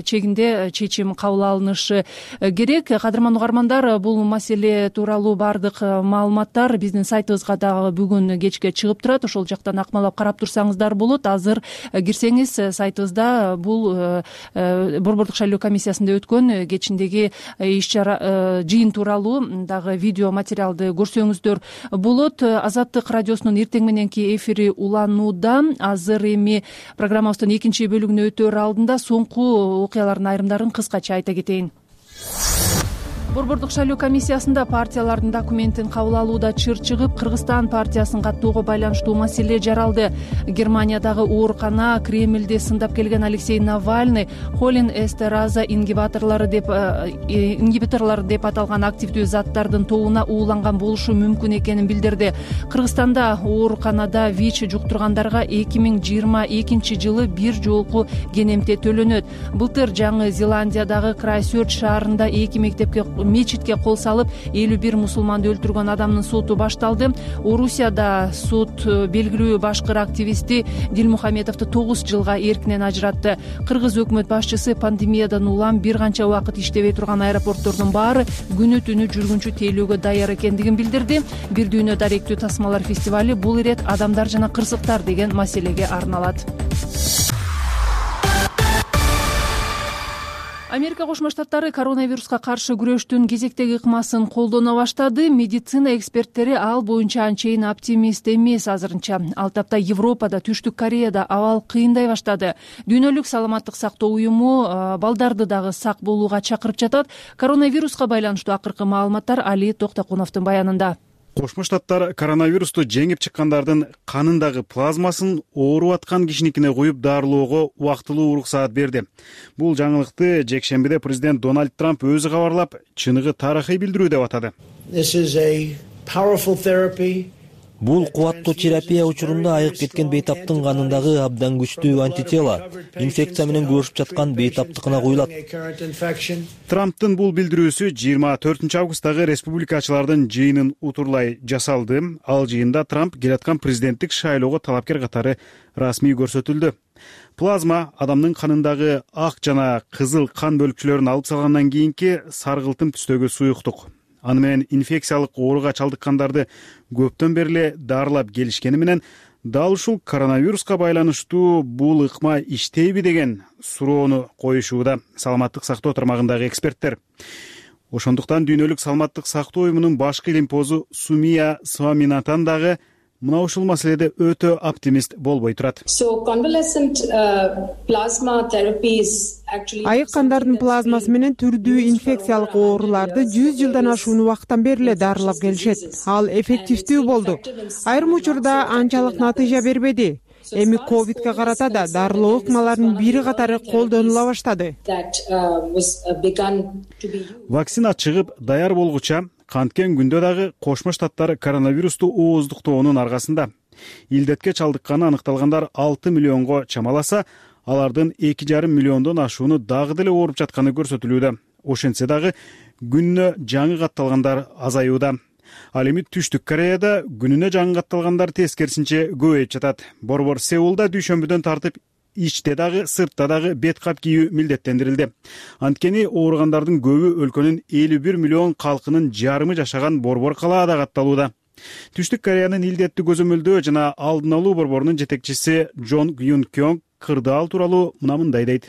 чегинде чечим кабыл алынышы керек. Кадырман угармандар, бул маселе тууралуу бардык маалыматтар биздин сайтыбызга дагы бүгүн кечке чыгып турат. Ошол жактан акмалап карап турсаңыздар болот. Азыр кирсеңиз сайтыбызда бул Борбордук шайлоо комиссиясында өткөн кечиндеги иш-чара жыйын тууралуу дагы видео материалды көрсөңүздөр болот. Азаттык радиосунун эртең мененки эфири уланууда. Азыр эми программабыздын экинчи бөлүгүнө өтөр алдында соңку окуялардын айрымдарын кыскача айта кетейин. Борбордук шайлоо комиссиясында партиялардын документин кабыл алууда чыр чыгып, Кыргызстан партиясын каттоого байланыштуу маселе жаралды. Германиядагы оорукана Кремльди сындап келген Алексей Навальный холин эстераза ингибиторлору деп аталган активдүү заттардын тобуна ууланган болушу мүмкүн экенин билдирди. Кыргызстанда ооруканада ВИЧ жуктургандарга 2022 жылы бир жолку кенемте төлөнөт. Былтыр Жаңы Зеландиядагы Крайсчерч шаарында 2 мечитке кол салып 51 мусулманды өлтүргөн адамдын соту башталды. Орусияда сот белгилүү башкыр активисти Дилмухаметовду 9 жылга эркинен ажыратты. Кыргыз өкмөт башчысы пандемиядан улам бир канча убакыт иштебей турган аэропорттордун баары күнү түнү жүргүнчү тейлөөгө даяр экендигин билдирди. Бир дүйнө даректүү тасмалар фестивали бул ирет адамдар жана кырсыктар деген маселеге арналат. Америка Кошмо Штаттары коронавируска каршы күрөштүн кезектеги ыкмасын колдоно баштады. Медицина эксперттери ал боюнча анчейин оптимист эмес азырынча. Ал тапта Европада, Түштүк Кореяда абал кыйындай баштады. Дүйнөлүк саламаттык сактоо уюму балдарды дагы сак болууга чакырып жатат. Коронавируска байланыштуу акыркы маалыматтар Али Токтокуновдун баянында. Кошмо Штаттар коронавирусту жеңип чыккандардын канындагы плазмасын ооруп аткан кишиникине куюп дарылоого убактылуу уруксаат берди. Бул жаңылыкты жекшембиде президент Дональд Трамп өзү кабарлап, чыныгы тарыхый билдирүү деп атады. Бул кубаттуу терапия учурунда айык кеткен бейтаптын канындагы абдан күчтүү антитела инфекция менен күрөшүп жаткан бейтаптыкына куюлат. Трамптын бул билдирүүсү 24 августтагы республикачылардын жыйынын утурлай жасалды. Ал жыйында Трамп келаткан президенттик шайлоого талапкер катары расмий көрсөтүлдү. Плазма адамдын канындагы ак жана кызыл кан бөлүкчөлөрүн алып салгандан кийинки саргылтым түстөгү суюктук. Аны менен инфекциялык ооруга чалдыккандарды көптөн бери эле дарылап келишкени менен дал ушул коронавируска байланыштуу бул ыкма иштейби деген суроону коюшууда саламаттык сактоо тармагындагы эксперттер. Ошондуктан дүйнөлүк саламаттык сактоо уюмунун башкы илимпозу Сумия Сваминатан дагы мына ушул маселеде өтө оптимист болбой турат. Айык кандардын плазмасы менен түрдүү инфекциялык ооруларды 100 жылдан ашуун убакыттан бери эле дарылап келишет. Ал эффективдүү болду. Айрым учурда анчалык натыйжа бербеди. Эми ковидке карата да дарылоо ыкмаларынын бири катары колдонула баштады. Вакцина чыгып даяр болгуча канткен күндө дагы Кошмо Штаттар коронавирусту ооздуктоонун аркасында. Илдетке чалдыкканы аныкталгандар 6 миллионго чамаласа, алардын 2,5 миллиондон ашууну дагы деле ооруп жатканы көрсөтүлүүдө. Ошентсе дагы күнүнө жаңы катталгандар азаюуда. Ал эми Түштүк Кореяда күнүнө жаңы катталгандар тескерисинче көбөйүп жатат. Борбор Сеулда дүйшөмбүдөн тартып ичте дагы, сыртта дагы бет кап кийүү милдеттендирилди. Анткени ооругандардын көбү өлкөнүн 51 миллион калкынын жарымы жашаган борбор калаада катталууда. Түштүк Кореянын илдеттүү көзөмөлдөө жана алдын алуу борборунун жетекчиси Джон Юн Кёнг кырдаал тууралуу мындай дейт.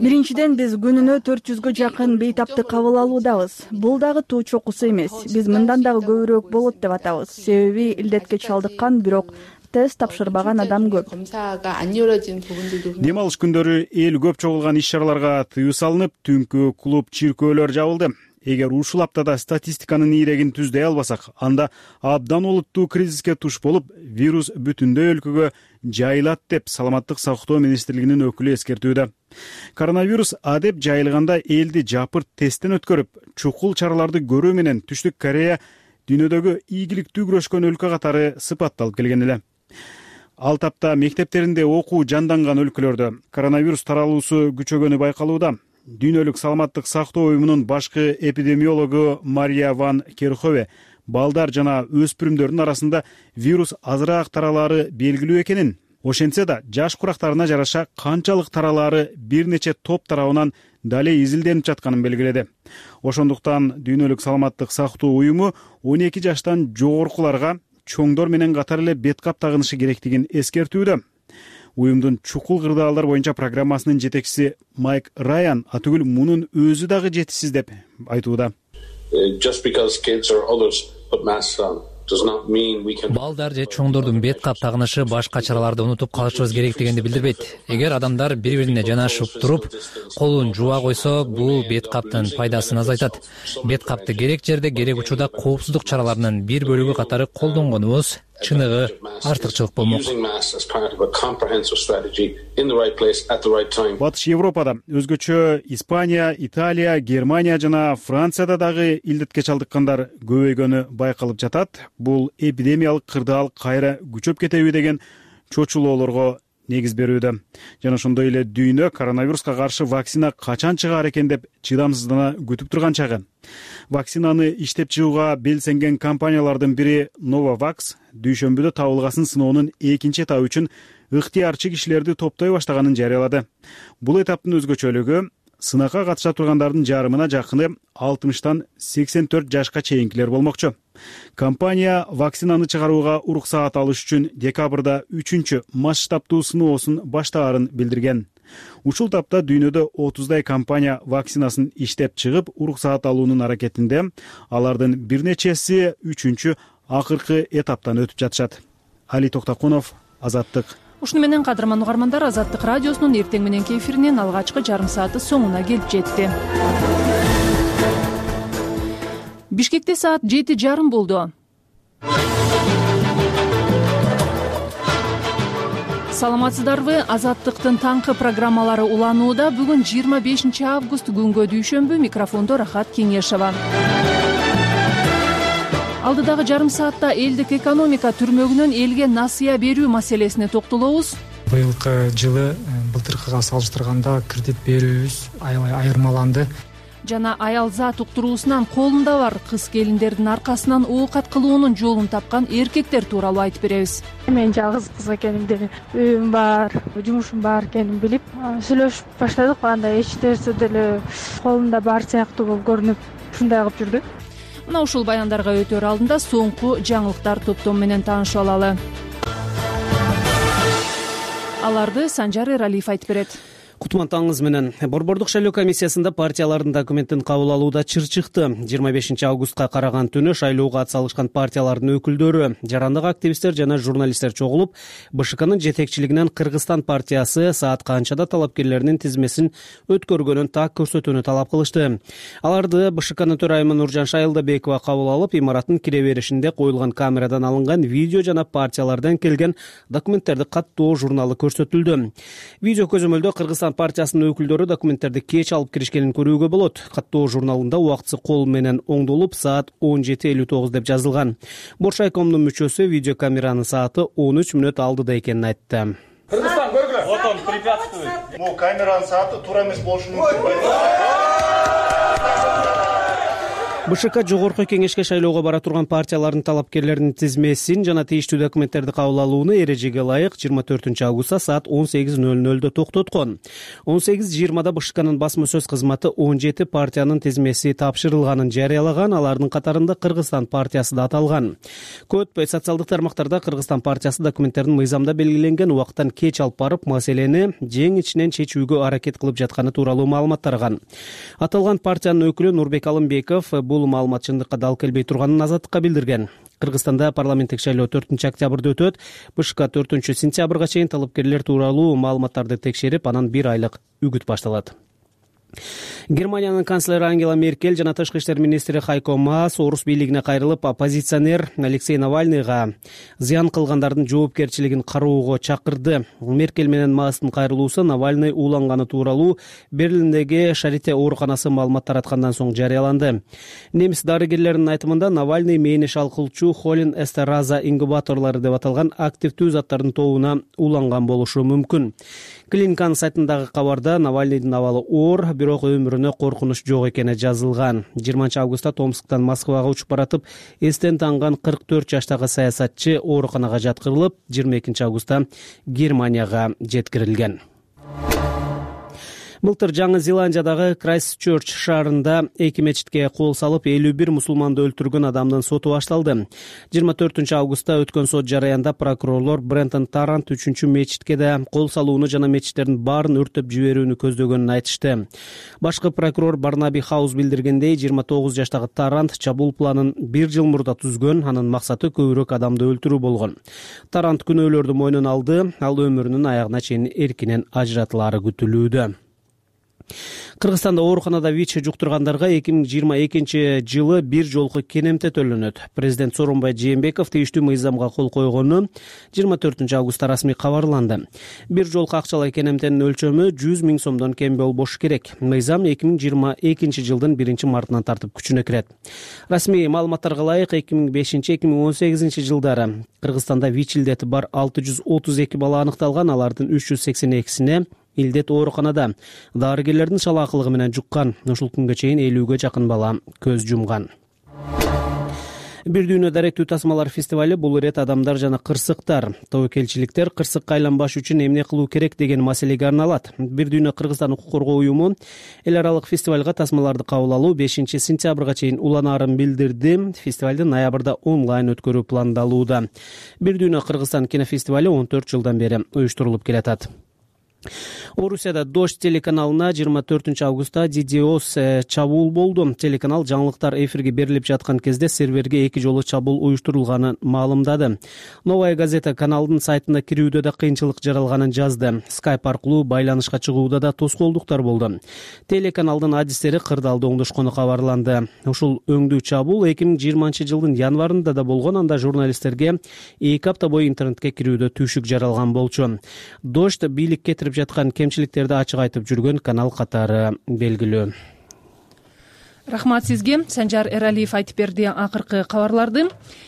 Биринчиден биз күнүнө 400гө жакын бейтапты кабыл алуудабыз. Бул дагы туу чокусу эмес. Биз мындан дагы көбүрөөк болот деп атабыз. Себеби илдетке чалдыккан, бирок тест тапшырбаган адам көп. Дем алыш күндөрү эл көп чогулган иш-чараларга тыюу салынып, түнкү клуб, чиркөөлөр жабылды. Эгер ушул аптада статистиканын ийрегин түздөй албасак, анда абдан олуттуу кризиске туш болуп, вирус бүтүндөй өлкөгө жайылат деп саламаттык сактоо министрлигинин өкүлү эскертүүдө. Коронавирус адеп жайылганда элди жапырт тесттен өткөрүп, чукул чараларды көрүү менен Түштүк Корея дүйнөдөгү ийгиликтүү күрөшкөн өлкө катары сыпатталып келген эле. Ал тапта мектептеринде окуу жанданган өлкөлөрдө коронавирус таралуусу күчөгөнү байкалууда. Дүйнөлүк саламаттык сактоо уюмунун башкы эпидемиологу Мария Ван Керхове балдар жана өспүрүмдөрдүн арасында вирус азыраак таралаары белгилүү экенин, ошентсе да жаш курактарына жараша канчалык таралаары бир нече топ тарабынан дале изилденип жатканын белгиледи. Ошондуктан дүйнөлүк саламаттык сактоо уюму 12 жаштан жогоркуларга чоңдор менен катар эле бет кап тагынышы керектигин эскертүүдө. Уюмдун чукул кырдаалдар боюнча программасынын жетекчиси Майк Райан атүгүл мунун өзү дагы жетишсиз деп айтууда. Балдар же чоңдордун бет кап тагынышы башка чараларды унутуп калышыбыз керек дегенди билдирбейт. Эгер адамдар бири-бирине жанашып туруп, колун жууа койсо, бул бет каптын пайдасын азайтат. Бет капты керек жерде, керек учурда коопсуздук чараларынын бир бөлүгү катары колдонгонубуз чыныгы артыкчылык болмок. Батыш Европада, өзгөчө Испания, Италия, Германия жана Францияда дагы илдетке чалдыккандар көбөйгөнү байкалып жатат. Бул эпидемиялык кырдаал кайра күчөп кетеби деген чочулоолорго негиз берүүдө. Жана ошондой эле дүйнө коронавируска каршы вакцина качан чыгаар экен деп чыдамсыздана күтүп турган чагы. Вакцинаны иштеп чыгууга белсенген компаниялардын бири Novavax дүйшөмбүдө табылгасын сыноонун экинчи этабы үчүн ыктыярчы кишилерди топтой баштаганын жарыялады. Бул этаптын өзгөчөлүгү сынакка катыша тургандардын жарымына жакыны 60-тан 84 жашка чейинкилер болмокчу. Компания вакцинаны чыгарууга уруксаат алыш үчүн декабрда 3-масштабтуу сыноосун баштаарын билдирген. Ушул тапта дүйнөдө 30дай компания вакцинасын иштеп чыгып, уруксаат алуунун аракетинде. Алардын бир нечеси 3-чү акыркы этаптан өтүп жатышат. Али Токтокунов, Азаттык. Ушуну менен кадырман угармандар, Азаттык радиосунун эртең мененки эфиринин алгачкы жарым сааты соңуна келип жетти. Бишкекте саат 7:30 болду. Саламатсыздарбы? Азаттыктын таңкы программалары уланууда. Бүгүн 25 август күнгө дүйшөмбү. Микрофондо Рахат Кеңешова. Алдыдагы жарым саатта элдик экономика түрмөгүнөн элге насыя берүү маселесине токтолобуз. Быйылкы жылы былтыркыга салыштырганда кредит берүүбүз аябай айырмаланды. Жана аял зат уктуруусунан колунда бар кыз келиндердин аркасынан оокат кылуунун жолун тапкан эркектер тууралуу айтып беребиз. Мен жалгыз кыз экенимди, үйүм бар, жумушум бар экенин билип сүйлөшүп баштадык. Анда эч нерсе деле колунда бар сыяктуу болуп көрүнүп, ушундай кылып жүрдү. Мына ушул баяндарга өтөр алдында соңку жаңылыктар топтому менен таанышып алалы. Аларды Санжар Эралиев айтып берет. Кутман таңыңыз менен. Борбордук шайлоо комиссиясында партиялардын документин кабыл алууда чыр чыкты. 25 августка караган түнү шайлоого ат салышкан партиялардын өкүлдөрү, жарандык активисттер жана журналисттер чогулуп, БШКнын жетекчилигинен Кыргызстан партиясы саат канчада талапкерлеринин тизмесин өткөргөнүн так көрсөтүүнү талап кылышты. Аларды БШКнын төрайымы Нуржан Шайылдабекова кабыл алып, имараттын кире беришинде коюлган камерадан алынган видео жана партиялардан келген документтерди каттоо журналы көрсөтүлдү. Видео көзөмөлдө Кыргызстан партиясынын өкүлдөрү документтерди кеч алып киришкенин көрүүгө болот. Каттоо журналында убактысы кол менен оңдолуп саат 17:59 деп жазылган. Боршайкомдун мүчөсү видеокамеранын сааты 13 мүнөт алдыда экенин айтты. Кыргызстан көргүлө. Вот он препятствует. Бул камеранын сааты туура эмес болушу мүмкүн. БШК жогорку кеңешке шайлоого бара турган партиялардын талапкерлеринин тизмесин жана тийиштүү документтерди кабыл алууну эрежеге ылайык 24 августта саат 18:00 токтоткон. 18:20 БШКнын басма сөз кызматы 17 партиянын тизмеси тапшырылганын жарыялаган. Алардын катарында Кыргызстан партиясы да аталган. Көп өтпөй социалдык тармактарда Кыргызстан партиясы документтерин мыйзамда белгиленген убакыттан кеч алып барып, маселени жең ичинен чечүүгө аракет кылып жатканы тууралуу маалымат тараган. Аталган партиянын өкүлү Нурбек Алымбеков бул маалымат чындыкка дал келбей турганын Азаттыкка билдирген. Кыргызстанда парламенттик шайлоо 4 октябрда өтөт. БШК 4 сентябрга чейин талапкерлер тууралуу маалыматтарды текшерип, анан 1 айлык үгүт башталат. Германиянын канцлери Ангела Меркель жана тышкы иштер министри Хайко Маас орус бийлигине кайрылып, оппозиционер Алексей Навальныйга зыян кылгандардын жоопкерчилигин кароого чакырды. Меркель менен Маастын кайрылуусу Навальный ууланганы тууралуу Берлиндеги Шарите ооруканасы маалымат тараткандан соң жарыяланды. Немис дарыгерлеринин айтымында Навальный мээни шалкылчу холин эстераза инкубаторлору деп аталган активдүү заттардын тобуна ууланган болушу мүмкүн. Клиниканын сайтындагы кабарда Навальныйдын абалы оор, бирок өмүрүнө коркунуч жок экени жазылган. 20 августта Томсктан Москвага учуп баратып, эстен танган 44 жаштагы саясатчы ооруканага жаткырылып, 22 августта Германияга жеткирилген. Былтыр Жаңы Зеландиядагы Крайстчерч шаарында 2 мечитке кол салып, 51 мусулманды өлтүргөн адамдын соту башталды. 24 августта өткөн сот жараянда прокурорлор Брентон Тарант 3 мечитке да кол салууну жана мечиттердин баарын өрттөп жиберүүнү көздөгөнүн айтышты. Башкы прокурор Барнаби Хаус билдиргендей, 29 жаштагы Тарант чабуул планын 1 жыл мурда түзгөн, анын максаты көбүрөөк адамды өлтүрүү болгон. Тарант күнөөлөрдү мойнуна алды, ал өмүрүнүн аягына чейин эркинен ажыратылаары күтүлүүдө. Кыргызстанда ооруканада ВИЧ жуктургандарга 2022 жылы бир жолку кенемте төлөнөт. Президент Сооронбай Жээнбеков тийиштүү мыйзамга кол койгону 24 августта расмий кабарланды. Бир жолку акчалай кенемтенин өлчөмү 100 000 сомдон кем болбошу керек. Мыйзам 2022 жылдын 1 мартынан тартып күчүнө кирет. Расмий маалыматтарга ылайык 2005-2018 жылдары Кыргызстанда ВИЧ илдети бар 632 бала аныкталган, алардын 382-сине илдет ооруканада дарыгерлердин шалаакылыгы менен жуккан. Ушул күнгө чейин 50ге жакын бала көз жумган. Бир дүйнө даректүү тасмалар фестивали бул ирет адамдар жана кырсыктар, тобокелчиликтер кырсыкка айланбаш үчүн эмне кылуу керек деген маселеге арналат. Бир дүйнө Кыргызстан укук коргоо уюму эл аралык фестивалга тасмаларды кабыл алуу 5 сентябрга чейин уланаарын билдирди. Фестивалды ноябрда онлайн өткөрүү пландалууда. Бир дүйнө Кыргызстан кинофестивали 14 жылдан бери уюштурулуп келатат. Орусияда Дождь телеканалына 24-августта DDoS чабуул болду. Телеканал жаңылыктар эфирге берилип жаткан кезде серверге 2 жолу чабуул уюштурулганын маалымдады. Новая газета каналдын сайтына кирүүдө да кыйынчылык жаралганын жазды. Skype аркылуу байланышка чыгууда да тоскоолдуктар болду. Телеканалдын адистери кырдаалда оңдошкону кабарланды. Ушул өңдүү чабуул 2020-жылдын январында да болгон, анда журналисттерге 2 апта бою интернетке кирүүдө түйшүк жаралган болчу. Дождь бийлик кетирип жаткан кемчиликтерди ачык айтып жүргөн канал катары белгилүү. Рахмат сизге. Санжар Эралиев айтып берди акыркы кабарларды.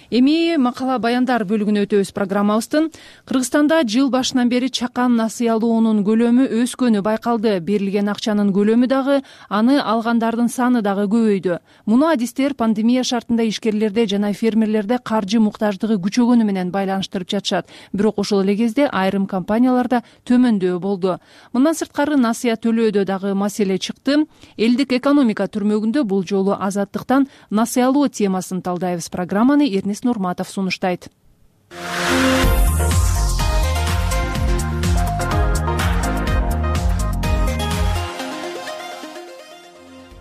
Эми макала баяндар бөлүгүнө өтөбүз программабыздын. Кыргызстанда жыл башынан бери чакан насыялоонун көлөмү өскөнү байкалды. Берилген акчанын көлөмү дагы, аны алгандардын саны дагы көбөйдү. Муну адистер пандемия шартында ишкерлерде жана фермерлерде каржы муктаждыгы күчөгөнү менен байланыштырып жатышат. Бирок ошол эле кезде айрым компанияларда төмөндөө болду. Мындан сырткары насыя төлөөдө дагы маселе чыкты. Элдик экономика түрмөгүндө бул жолу азаттыктан насыялоо темасын талдайбыз. Программаны Эрнис Нурматов сунуштайт.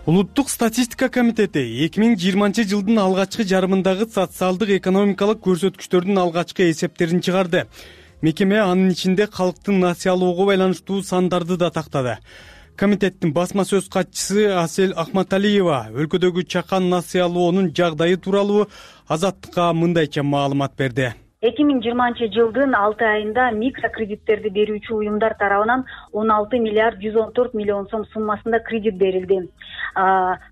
Улуттук статистика комитети 2020-жылдын алгачкы жарымындагы социалдык экономикалык көрсөткүчтөрдүн алгачкы эсептерин чыгарды. Мекеме анын ичинде калктын насыялоого байланыштуу сандарды да тактады. Комитеттин басма сөз катчысы Асель Ахматалиева өлкөдөгү чакан насыялоонун жагдайы тууралуу Азаттыкка мындайча маалымат берди. 2020-жылдын 6 айында микрокредиттерди берүүчү уюмдар тарабынан 16 миллиард 114 миллион сом суммасында кредит берилди.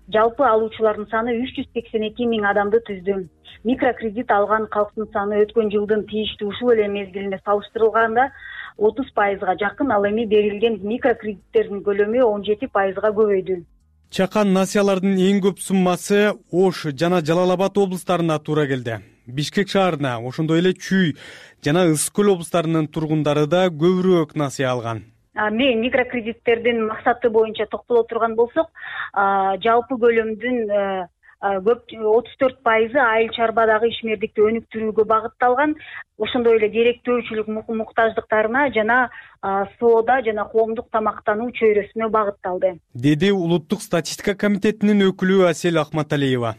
Жалпы алуучулардын саны 382 миң адамды түздү. Микрокредит алган калктын саны өткөн жылдын тийиштүү ушул эле мезгилине салыштырылганда 30%га жакын, ал эми берилген микрокредиттердин көлөмү 17%га көбөйдү. Чакан насыялардын эң көп суммасы Ош жана Жалал Абад облустарына туура келди. Бишкек шаарына, ошондой эле Чүй жана Ысык көл облустарынын тургундары да көбүрөөк насыя алган. Микрокредиттердин максаты боюнча токтоло турган болсок, жалпы көлөмдүн 34% айыл чарбадагы ишмердикти өнүктүрүүгө багытталган. Ошондой эле деректөөчүлүк муктаждыктарына жана соода жана коомдук тамактануу чөйрөсүнө багытталды, деди Улуттук статистика комитетинин өкүлү Асель Ахматалиева.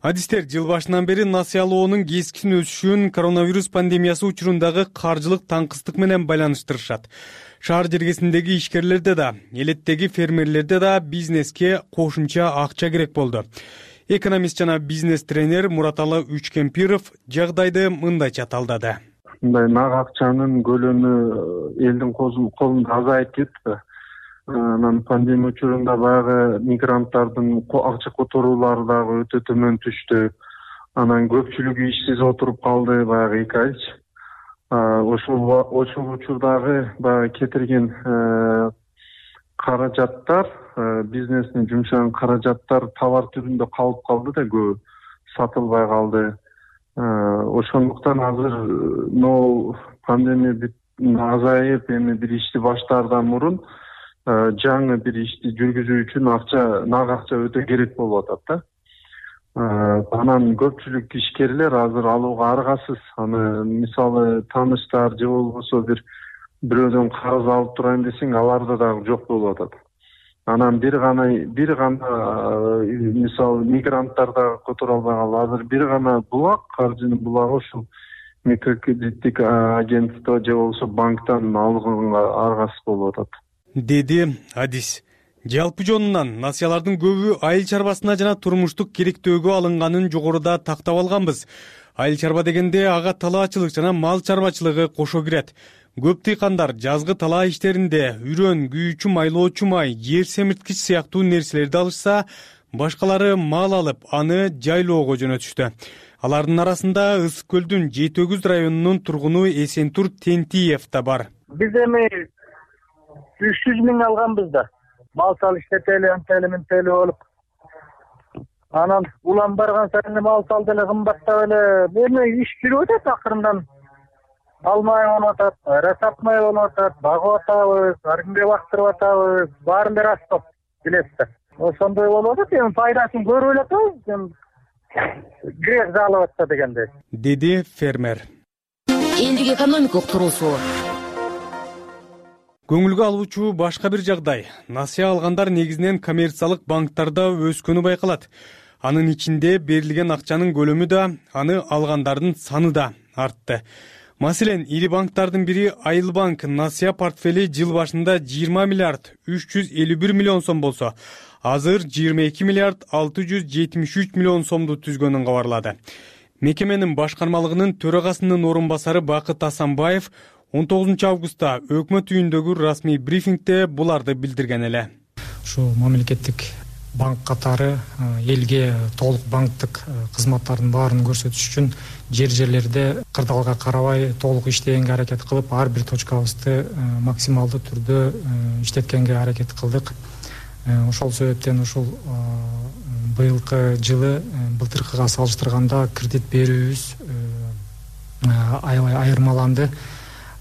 Адистер жыл башынан бери насыялоонун кескин өсүшүн коронавирус пандемиясы учурундагы каржылык таңкыстык менен байланыштырышат. Шаар жергесиндеги ишкерлерде да, элеттеги фермерлерде да бизнеске кошумча акча керек болду. Экономист жана бизнес тренер Мураталы Үчкемпиров жагдайды мындайча талдады. Мындай нак акчанын көлөмү элдин колунда азайып кетти. Анан пандемия учурунда баягы мигранттардын акча которуулары дагы өтө төмөн түштү. Анан көпчүлүгү ишсиз отуруп калды баягы 2 айчы. Ошол учурдагы баягы кетирген каражаттар, бизнестин жумшаган каражаттар товар түрүндө калып калды да көбү сатылбай калды. Ошондуктан азыр пандемия азайып, эми бир ишти баштаардан мурун жаңы бир ишти жүргүзүү үчүн нак акча өтө керек болуп атат да. Анан көпчүлүк ишкерлер азыр алууга аргасыз. Аны мисалы тааныштар же болбосо бирөөдөн карыз алып турайын десең, аларда дагы жок болуп атат. Анан бир гана мисалы мигранттар дагы которо албай калды. Азыр бир гана булак, каржынын булагы ушул микрокредиттик агентство же болбосо банктан алганга аргасыз болуп атат, деди адис. Жалпы жонунан насыялардын көбү айыл чарбасына жана турмуштук керектөөгө алынганын жогоруда тактап алганбыз. Айыл чарба дегенде ага талаачылык жана мал чарбачылыгы кошо кирет. Көп дыйкандар жазгы талаа иштеринде үрөн, күйүүчү майлоочу май, жер семирткич сыяктуу нерселерди алышса, башкалары мал алып, аны жайлоого жөнөтүштү. Алардын арасында Ысык көлдүн Жетөгүз районунун тургуну Эсентур Тентиев да бар. Биз эми 300 миң алганбыз да. Мал салыштетели, антеле болуп. Анан улам барган сайын мал сал деле кымбаттап эле, эми иш жүрүп атат акырындан. Алмай болуп атат, расапмай болуп атат, багып атабыз, ар кимге бактырып атабыз, баарын бери астап билесиз. Ошондой болуп атат, эми пайдасын көрүп эле атабыз, грех залып атса дегендей, деди фермер. Элдик экономикалык турулуусу. Көңүлгө алуучу башка бир жагдай. Насыя алгандар негизинен коммерциялык банктарда өскөнү байкалат. Анын ичинде берилген акчанын көлөмү да, аны алгандардын саны да артты. Маселен, ири банктардын бири Айыл банк насыя портфели жыл башында 20 миллиард 351 миллион сом болсо, азыр 22 миллиард 673 миллион сомду түзгөнүн кабарлады. Мекеменин башкармалыгынын төрагасынын орун басары Бакыт Асанбаев 19 августта өкмөт үйүндөгү расмий брифингде буларды билдирген эле. Ушу мамлекеттик банк катары элге толук банктык кызматтардын баарын көрсөтүш үчүн жерлерде кырдаалга карабай толук иштегенге аракет кылып, ар бир точкабызды максималдуу түрдө иштеткенге аракет кылдык. Ошол себептен ушул быйылкы жылы былтыркыга салыштырганда кредит берүүбүз аябай айырмаланды.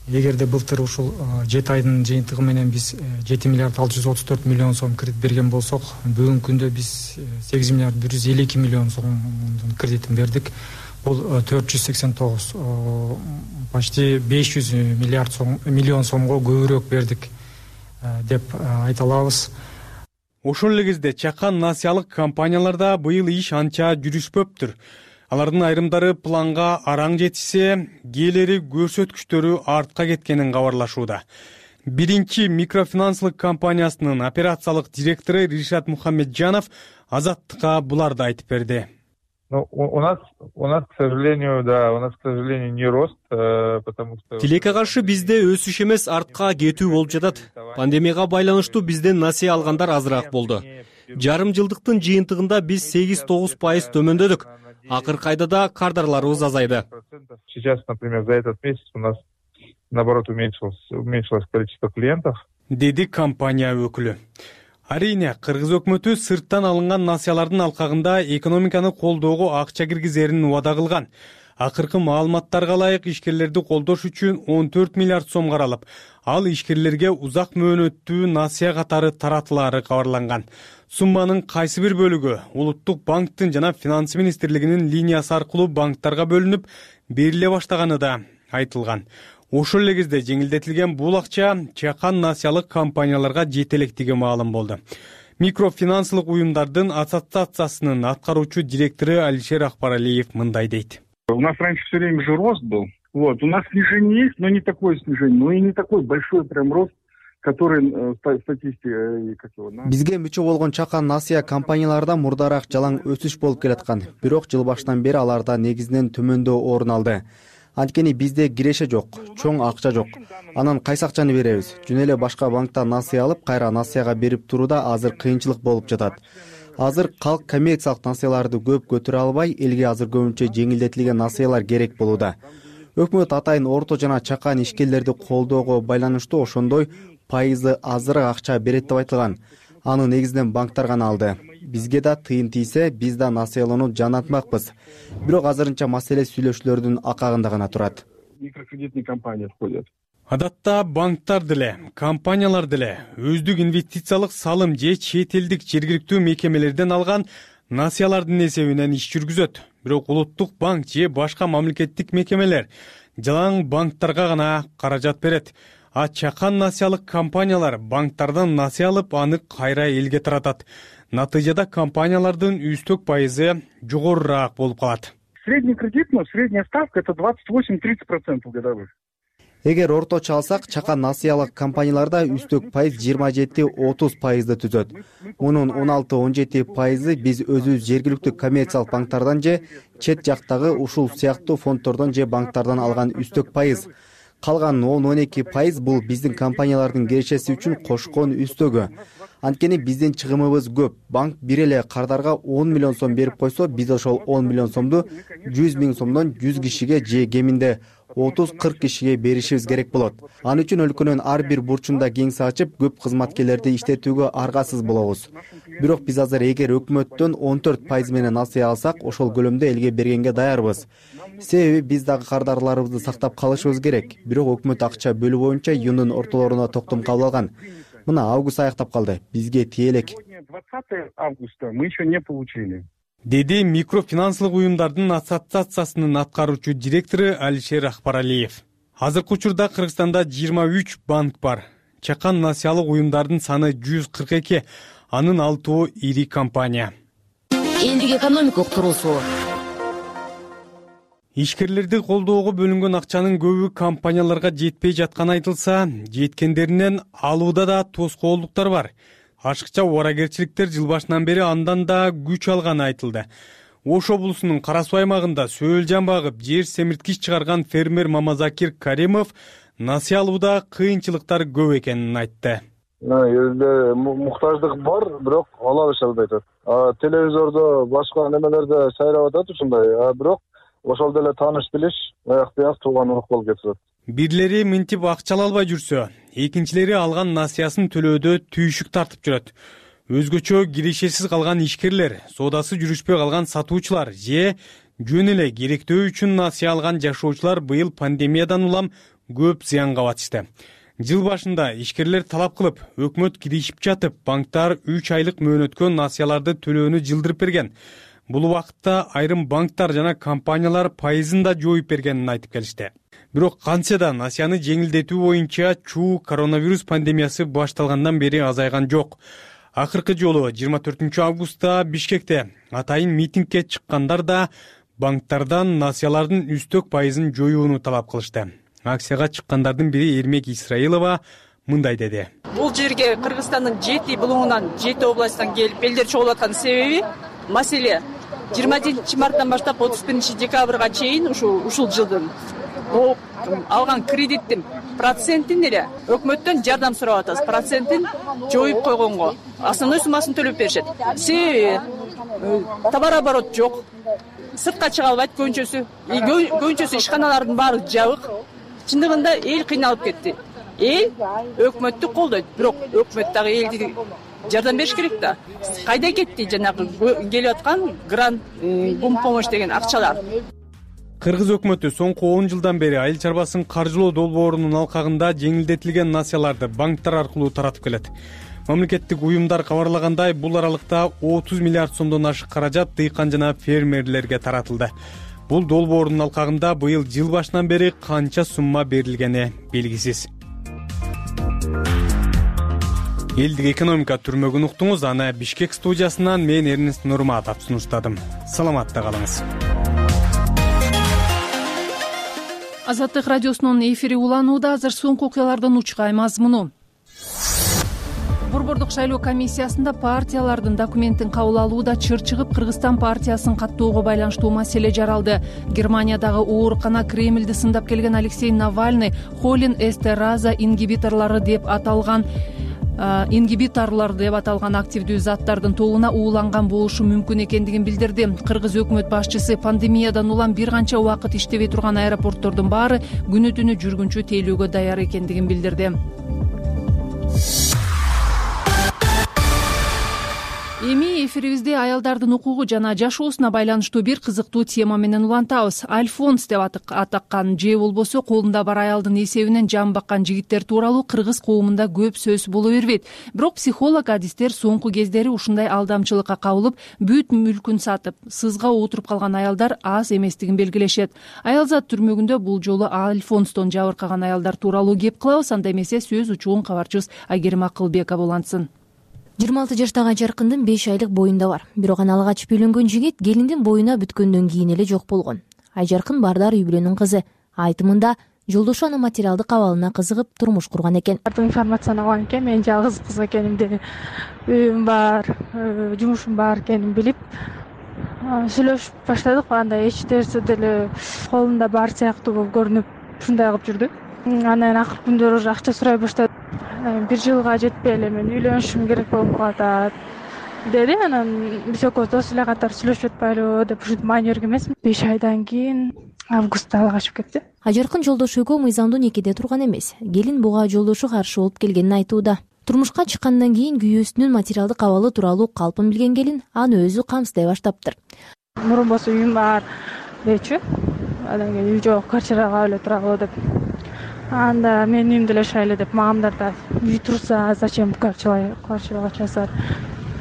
Эгерде былтыр ушул 7 айдын жыйынтыгы менен биз 7 миллиард 634 миллион сом кредит берген болсок, бүгүнкү күндө биз 8 миллиард 152 миллион сомдун кредитин бердик. Бул 489, почти 500 миллион сомго көбүрөөк бердик деп айта алабыз. Ошол эле кезде чакан насыялык компанияларда быйыл иш анча жүрүшпөптүр. Алардын айрымдары планга араң жетишсе, кээлери көрсөткүчтөрү артка кеткенин кабарлашууда. Биринчи микрофинансылык компаниясынын операциялык директору Ришат Мухаммеджанов Азаттыкка буларды айтып берди. У нас, к сожалению, не рост, потому что... Тилекке каршы бизде өсүш эмес, артка кетүү болуп жатат. Пандемияга байланыштуу бизден насыя алгандар азыраак болду. Жарым жылдыктын жыйынтыгында биз 8-9% төмөндөдүк. Акыркы айда да кардарларыбыз азайды. Сейчас, например, за этот месяц у нас, наоборот, уменьшилось количество клиентов. Деди компания өкүлү. Арийне, Кыргыз өкмөтү сырттан алынган насыялардын алкагында экономиканы колдоого акча киргизерин убада кылган. Акыркы маалыматтарга ылайык ишкерлерди колдош үчүн 14 миллиард сом каралып, ал ишкерлерге узак мөөнөттүү насыя катары таратылаары кабарланган. Сумманын кайсы бир бөлүгү Улуттук банктын жана Финансы министрлигинин линиясы аркылуу банктарга бөлүнүп бериле баштаганы да айтылган. Ошол эле кезде жеңилдетилген бул акча чакан насыялык компанияларга жете электиги маалым болду. Микрофинансылык уюмдардын ассоциациясынын аткаруучу директору Алишер Акбаралиев мындай дейт. У нас раньше все время же рост был. У нас снижение есть, но не такое снижение, но и не такой большой прям рост, который статистика. Бизге мүчө болгон чакан насыя компанияларда мурдараак жалаң өсүш болуп келаткан. Бирок жыл башынан бери аларда негизинен төмөндөө орун алды. Анткени бизде киреше жок, чоң акча жок. Анан кайсы акчаны беребиз? Жөн эле башка банктан насыя алып, кайра насыяга берип турууда азыр кыйынчылык болуп жатат. Азыр калк коммерциялык насыяларды көп көтөрө албай, элге азыр көбүнчө жеңилдетилген насыялар керек болууда. Өкмөт атайын орто жана чакан ишкерлерди колдоого байланыштуу ошондой пайызы азыраак акча берет деп айтылган. Аны негизинен банктар гана алды. Бизге да тыйын тийсе, биз да насыялоону жанатмакпыз. Бирок азырынча маселе сүйлөшүүлөрдүн акагында гана турат. Микрокредитные компании входят. Адатта банктар деле, компаниялар деле өздүк инвестициялык салым же чет элдик жергиликтүү мекемелерден алган насыялардын эсебинен иш жүргүзөт. Бирок Улуттук банк же башка мамлекеттик мекемелер жалаң банктарга гана каражат берет. А чакан насыялык компаниялар банктардан насыя алып, аны кайра элге таратат. Натыйжада компаниялардын үстөк пайызы жогорураак болуп калат. Средний кредит, средняя ставка это 28-30% годовых. Эгер орточо алсак, чакан насыялык компанияларда үстөк пайыз 27-30% түзөт. Мунун 16-17% биз өзүбүз жергиликтүү коммерциялык банктардан же чет жактагы ушул сыяктуу фонддордон же банктардан алган үстөк пайыз. Калган 10-12% бул биздин компаниялардын кирешеси үчүн кошкон үстөгү. Анткени биздин чыгымыбыз көп. Банк бир эле кардарга 10 миллион сом берип койсо, биз ошол 10 миллион сомду 100 миң сомдон 100 кишиге же кеминде 30-40 кишиге беришибиз керек болот. Ал үчүн өлкөнүн ар бир бурчунда кеңсе ачып, көп кызматкерлерди иштетүүгө аргасыз болобуз. Бирок биз азыр эгер өкмөттөн 14% менен насыя алсак, ошол көлөмдө элге бергенге даярбыз. Себеби биз дагы кардарларыбызды сактап калышыбыз керек. Бирок өкмөт акча бөлүү боюнча июндун ортолоруна токтом кабыл алган. Мына август аяктап калды. Бизге тие элек. 20 августа мы еще не получили. Деди микрофинансылык уюмдардын ассоциациясынын аткаруучу директору Алишер Акбаралиев. Азыркы учурда Кыргызстанда 23 банк бар. чакан насыялык уюмдардын саны 142, анын 6 ири компания. Элдик экономика уктуруусу. Ишкерлерди колдоого бөлүнгөн акчанын көбү компанияларга жетпей жатканы айтылса, жеткендеринен алууда да тоскоолдуктар бар. Ашыкча убаракерчиликтер жыл башынан бери андан да күч алганы айтылды. Ош облусунун Кара Суу аймагында сөөл жан багып, жер семирткич чыгарган фермер Мамазакир Каримов насыя алууда кыйынчылыктар көп экенин айтты. Элде муктаждык бар, бирок ала алышабыз айтат. Телевизордо, башка немелерде сайрап атат ушундай, бирок ошол деле тааныш билиш аяк тууган урак болуп кетип атат. Бирлери мынтип акча ала албай жүрсө, экинчилери алган насыясын төлөөдө түйшүк тартып жүрөт. Өзгөчө киришесиз калган ишкерлер, соодасы жүрүшпөй калган сатуучулар же жөн эле керектөө үчүн насыя алган жашоочулар быйыл пандемиядан улам көп зыянга батышты. Жыл башында ишкерлер талап кылып, өкмөт киришип жатып, банктар 3 айлык мөөнөткө насыяларды төлөөнү жылдырып берген. Бул убакытта айрым банктар жана компаниялар пайызын да жоюп бергенин айтып келишти. Бирок кантсе да насыяны жеңилдетүү боюнча чуу коронавирус пандемиясы башталгандан бери азайган жок. Акыркы жолу 24 августта Бишкекте атайын митингге чыккандар да банктардан насыялардын үстөк пайызын жоюуну талап кылышты. Акцияга чыккандардын бири Эрмек Исраилова мындай деди. Бул жерге Кыргызстандын 7 булуңунан 7 областтан келип элдер чогулуп аткан себеби маселе 27 марттан баштап 31 декабрга чейин ушул жылдын алган кредиттин процентин эле өкмөттөн жардам сурап атабыз. Процентин жоюп койгонго основной суммасын төлөп беришет. Себеби товарооборот жок. Сыртка чыга албайт көбүнчөсү ишканалардын баары жабык. Чындыгында эл кыйналып кетти. Эл өкмөттү колдойт, бирок өкмөт дагы элди жардам бериш керек да. Кайда кетти жанагы келип аткан грант, помощь деген акчалар? Кыргыз өкмөтү соңку 10 жылдан бери айыл чарбасын каржылоо долбоорунун алкагында жеңилдетилген насыяларды банктар аркылуу таратып келет. Мамлекеттик уюмдар кабарлагандай, бул аралыкта 30 миллиард сомдон ашык каражат дыйкан жана фермерлерге таратылды. Бул долбоордун алкагында быйыл жыл башынан бери канча сумма берилгени белгисиз. Элдик экономика түрмөгүн уктуңуз. Аны Бишкек студиясынан мен Эрнест Нурматов сунуштадым. Саламатта калыңыз. Азаттык радиосунун эфири уланууда. Азыр соңку окуялардын учкай мазмуну. Борбордук шайлоо комиссиясында партиялардын документин кабыл алууда чыр чыгып, Кыргызстан партиясын каттоого байланыштуу маселе жаралды. Германиядагы оорукана Кремльди сындап келген Алексей Навальный холин эстераза ингибиторлор деп аталган активдүү заттардын тобуна ууланган болушу мүмкүн экендигин билдирди. Кыргыз өкмөт башчысы пандемиядан улам бир канча убакыт иштебей турган аэропорттордун баары күнү түнү жүргүнчү тейлөөгө даяр экендигин билдирди. Эми эфирибизде аялдардын укугу жана жашоосуна байланыштуу бир кызыктуу тема менен улантабыз. Альфонс деп атаккан же болбосо колунда бар аялдын эсебинен жан баккан жигиттер тууралуу кыргыз коомунда көп сөз боло бербейт. Бирок психолог адистер соңку кездери ушундай алдамчылыкка кабылып, бүт мүлкүн сатып, сызга отуруп калган аялдар аз эместигин белгилешет. Аялзат түрмөгүндө бул жолу Альфонстон жабыркаган аялдар тууралуу кеп кылабыз. Анда эмесе сөз учугун кабарчыбыз Айгерим Акылбекова улантсын. 26 жаштагы Жаркындын 5 айлык боюнда бар. Бирок аны алгач үйлөнгөн жигит келиндин боюна бүткөндөн кийин эле жок болгон. Айжаркын Бардар үй бүлөнүн кызы. Айтымында жолдошу анын материалдык абалына кызыгып турмуш курган экен. Информацияны алган экен, мен жалгыз кыз экенимди, үйүм бар, жумушум бар экенин билип, сүйлөшүп баштадык. Анда эч нерсе деле колунда бар сыяктуу болуп көрүнүп, ушундай кылып жүрдү. Анан акыркы күндөр уже акча сурай баштады. 1 жылга жетпей эле мен үйлөнүшүм керек болуп калат деди. Анан биз экөөбүз дос эле катар сүйлөшүп атпайлыбы деп ушинтип маани берген эмесмин. 5 айдан кийин августта ала качып кетти. Ажаркын жолдошу экөө мыйзамдуу некеде турган эмес. Келин буга жолдошу каршы болуп келгенин айтууда. Турмушка чыккандан кийин күйөөсүнүн материалдык абалы тууралуу калпын билген келин аны өзү камсыздай баштаптыр. Мурун болсо үйүм бар дечү. Анан кийин үй жок, квартирага эле туралы деп. Анда мен үйүмдө эле шайлы деп, мамамдар да үй турса зачем квартирага часат,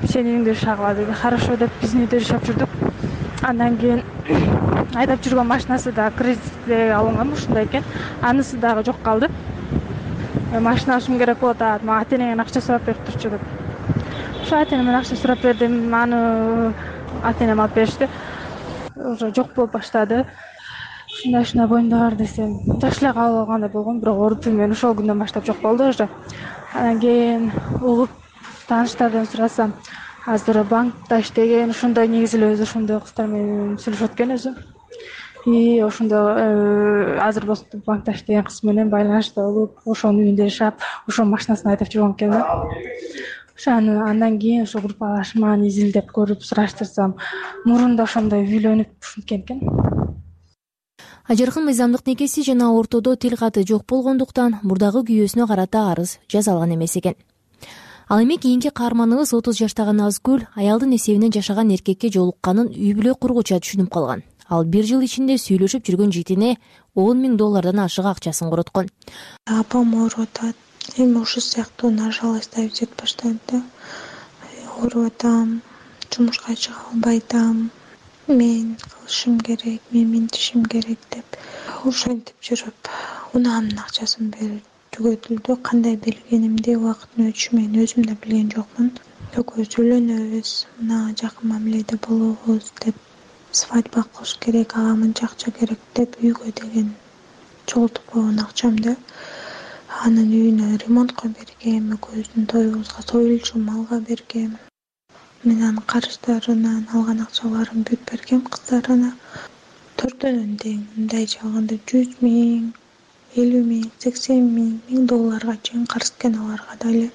сенин үйүңдө шагыла деди. Хорошо деп биздин үйдө жашап жүрдүк. Андан кийин айдап жүргөн машинасы да кредитке алынган ушундай экен. Анысы дагы жок калды. машина алышым керек болот, мага ата-энеңден акча сурап берип турчу деп. Ошо ата-энемден акча сурап бердим, аны ата-энем алып беришти. Уже жок болуп баштады. Ушундай боюмда бар десем, жакшы эле кабыл алгандай болгом, бирок оорутуу мен ошол күндөн баштап жок болду уже. Анан кийин угуп тааныштардан сурасам, азыр банкта иштеген, ошондой негизи эле өзү ошондой кыздар менен сүйлөшүп өткөн өзү. И ошондо азыр болсо банкта иштеген кыз менен байланышта болуп, ошонун үйүндө жашап, ошонун машинасын айдап жүргөн экен да. Ошону андан кийин ошо группалашманы изилдеп көрүп сураштырсам, мурунда ошондой үйлөнүп ушинткен экен. Ажаркын мыйзамдык некеси жана ортодо тил каты жок болгондуктан мурдагы күйөөсүнө карата арыз жаза алган эмес экен. Ал эми кийинки каарманыбыз 30 жаштагы Назгүл аялдын эсебинен жашаган эркекке жолукканын үй бүлө кургуча түшүнүп калган. Ал 1 жыл ичинде сүйлөшүп жүргөн жигитине $10,000 ашык акчасын короткон. Апам ооруп атат. Эми ушул сыяктуу нажалость жет баштады да. Ооруп атам, жумушка чыга албай атам. Мен кылышым керек, мен минтишим керек деп ошентип жүрүп, унаамдын акчасын берип түгөтүлдү. Кандай билгенимди убакыттын өтүшү менен өзүм да билген жокмун. Экөөбүз үйлөнөбүз, мына жакын мамиледе болобуз деп, свадьба кылыш керек, ага мынча акча керек деп үйгө деген чогултуп койгон акчамды анын үйүнө ремонтко бергем, экөөбүздүн тоюбузга союлчу малга бергем. Мен анын карыздарынан алган акчаларын бүт бергем кыздарына. Төртөөнүн тең, мындайча алганда $100,000, $50,000, $80,000, $1,000 чейин карыз экен аларга дагы.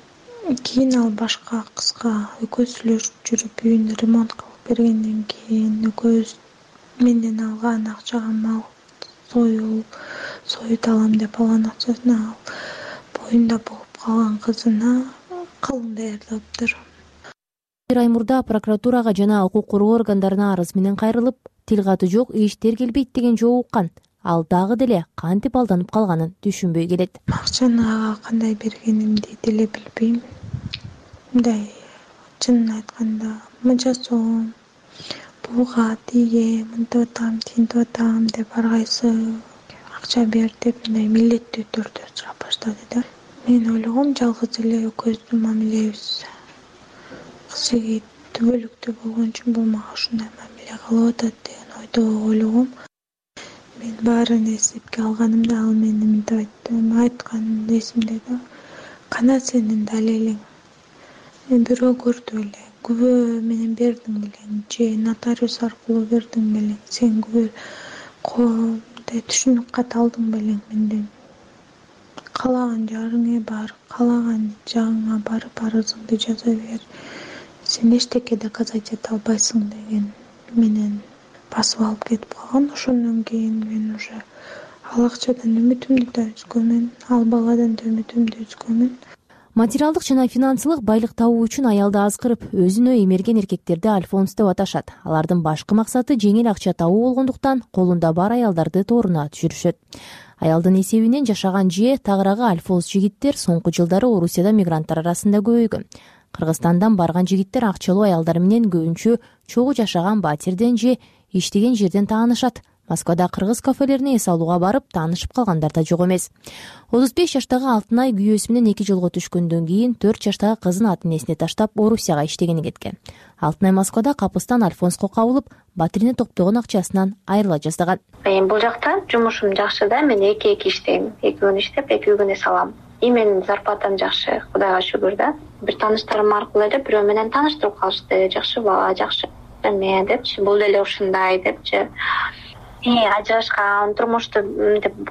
Кийин ал башка кызга экөөбүз сүйлөшүп жүрүп үйүнө ремонт кылып бергенден кийин экөөбүз менден алган акчага мал соют алам деп алган акчасын ал боюнда болуп калган кызына кылым даярдаптыр. 1 ай мурда прокуратурага жана укук коргоо органдарына арыз менен кайрылып, тил каты жок, эч тергелбейт деген жооп уккан. Ал дагы деле кантип алданып калганын түшүнбөй келет. Акчаны ага кандай бергенимди деле билбейм. Мындай чынын айтканда мынча сом буга тиге мынтип атам, тинтип атам деп ар кайсы акча бер деп мындай милдеттүү түрдө сурап баштады да. Мен ойлогом жалгыз эле экөөбүздүн мамилебиз кыз жигит түбөлүктүү болгон үчүн бул мага ушундай мамиле кылып атат деген ойдо ойлогом. Мен баарын эсепке алганымда ал мени мынтип айтты, айткан эсимде да. Кана сенин далелиң. Мен бирөө көрдү эле, күбө менен бердиң белең, же нотариус аркылуу бердиң белең, сен күбө түшүнүк кат алдың белең менден. Каалаган жарыңа бар, каалаган жагыңа барып арызыңды жаза бер. Сен эчтеке доказать эте албайсың деген менен басып алып кетип калган. Ошондон кийин мен уже ал акчадан үмүтүмдү да үзгөнмүн, ал баладан да үмүтүмдү үзгөнмүн. Материалдык жана финансылык байлык табуу үчүн аялды азгырып, өзүнө эмерген эркектерди альфонс деп аташат. Алардын башкы максаты жеңил акча табуу болгондуктан колунда бар аялдарды тооруна түшүрүшөт. Аялдын эсебинен жашаган же тагыраагы альфонс жигиттер соңку жылдары Орусияда мигранттар арасында көбөйгөн. Кыргызстандан барган жигиттер акчалуу аялдар менен көбүнчө чогуу жашаган батирден же иштеген жерден таанышат. Москвада кыргыз кафелерине эс алууга барып таанышып калгандар да жок эмес. 35 жаштагы Алтынай күйөөсү менен 2 жылга түшкөндөн кийин 4 жаштагы кызын ата-энесине таштап Орусияга иштегени кеткен. Алтынай Москвада капыстан альфонско кабылып, батирине топтогон акчасынан айрыла жаздаган. Бул жакта жумушум жакшы да, мен 2 иштейм. 2 күн иштеп, 2 күн эс алам. Менин зарплатам жакшы, Кудайга шүгүр да. Бир тааныштарым аркылуу эле бирөө менен тааныштырып калышты. Жакшы бала, жакшы эме депчи, бул деле ушундай депчи. Ажырашкан, турмушту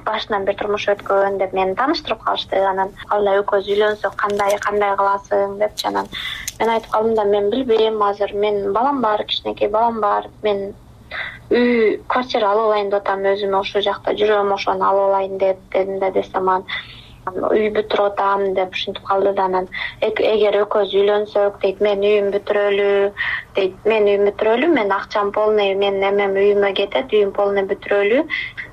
башынан бир турмуш өткөн деп мени тааныштырып калышты. Анан алла экөөбүз үйлөнсөк кандай кыласың депчи. Анан мен айтып калдым да, мен билбейм, азыр мен балам бар, кичинекей балам бар. Мен үй, квартира алып алайын деп атам, өзүмө ошол жакта жүрөм, ошону алып алайын деп дедим да, десем анан үй бүтүрүп атам деп ушинтип калды да. Анан эгер экөөбүз үйлөнсөк дейт, мен үйүм бүтүрөлү, мен акчам полный, мен эмем үйүмө кетет, үйүм полный бүтүрөлү.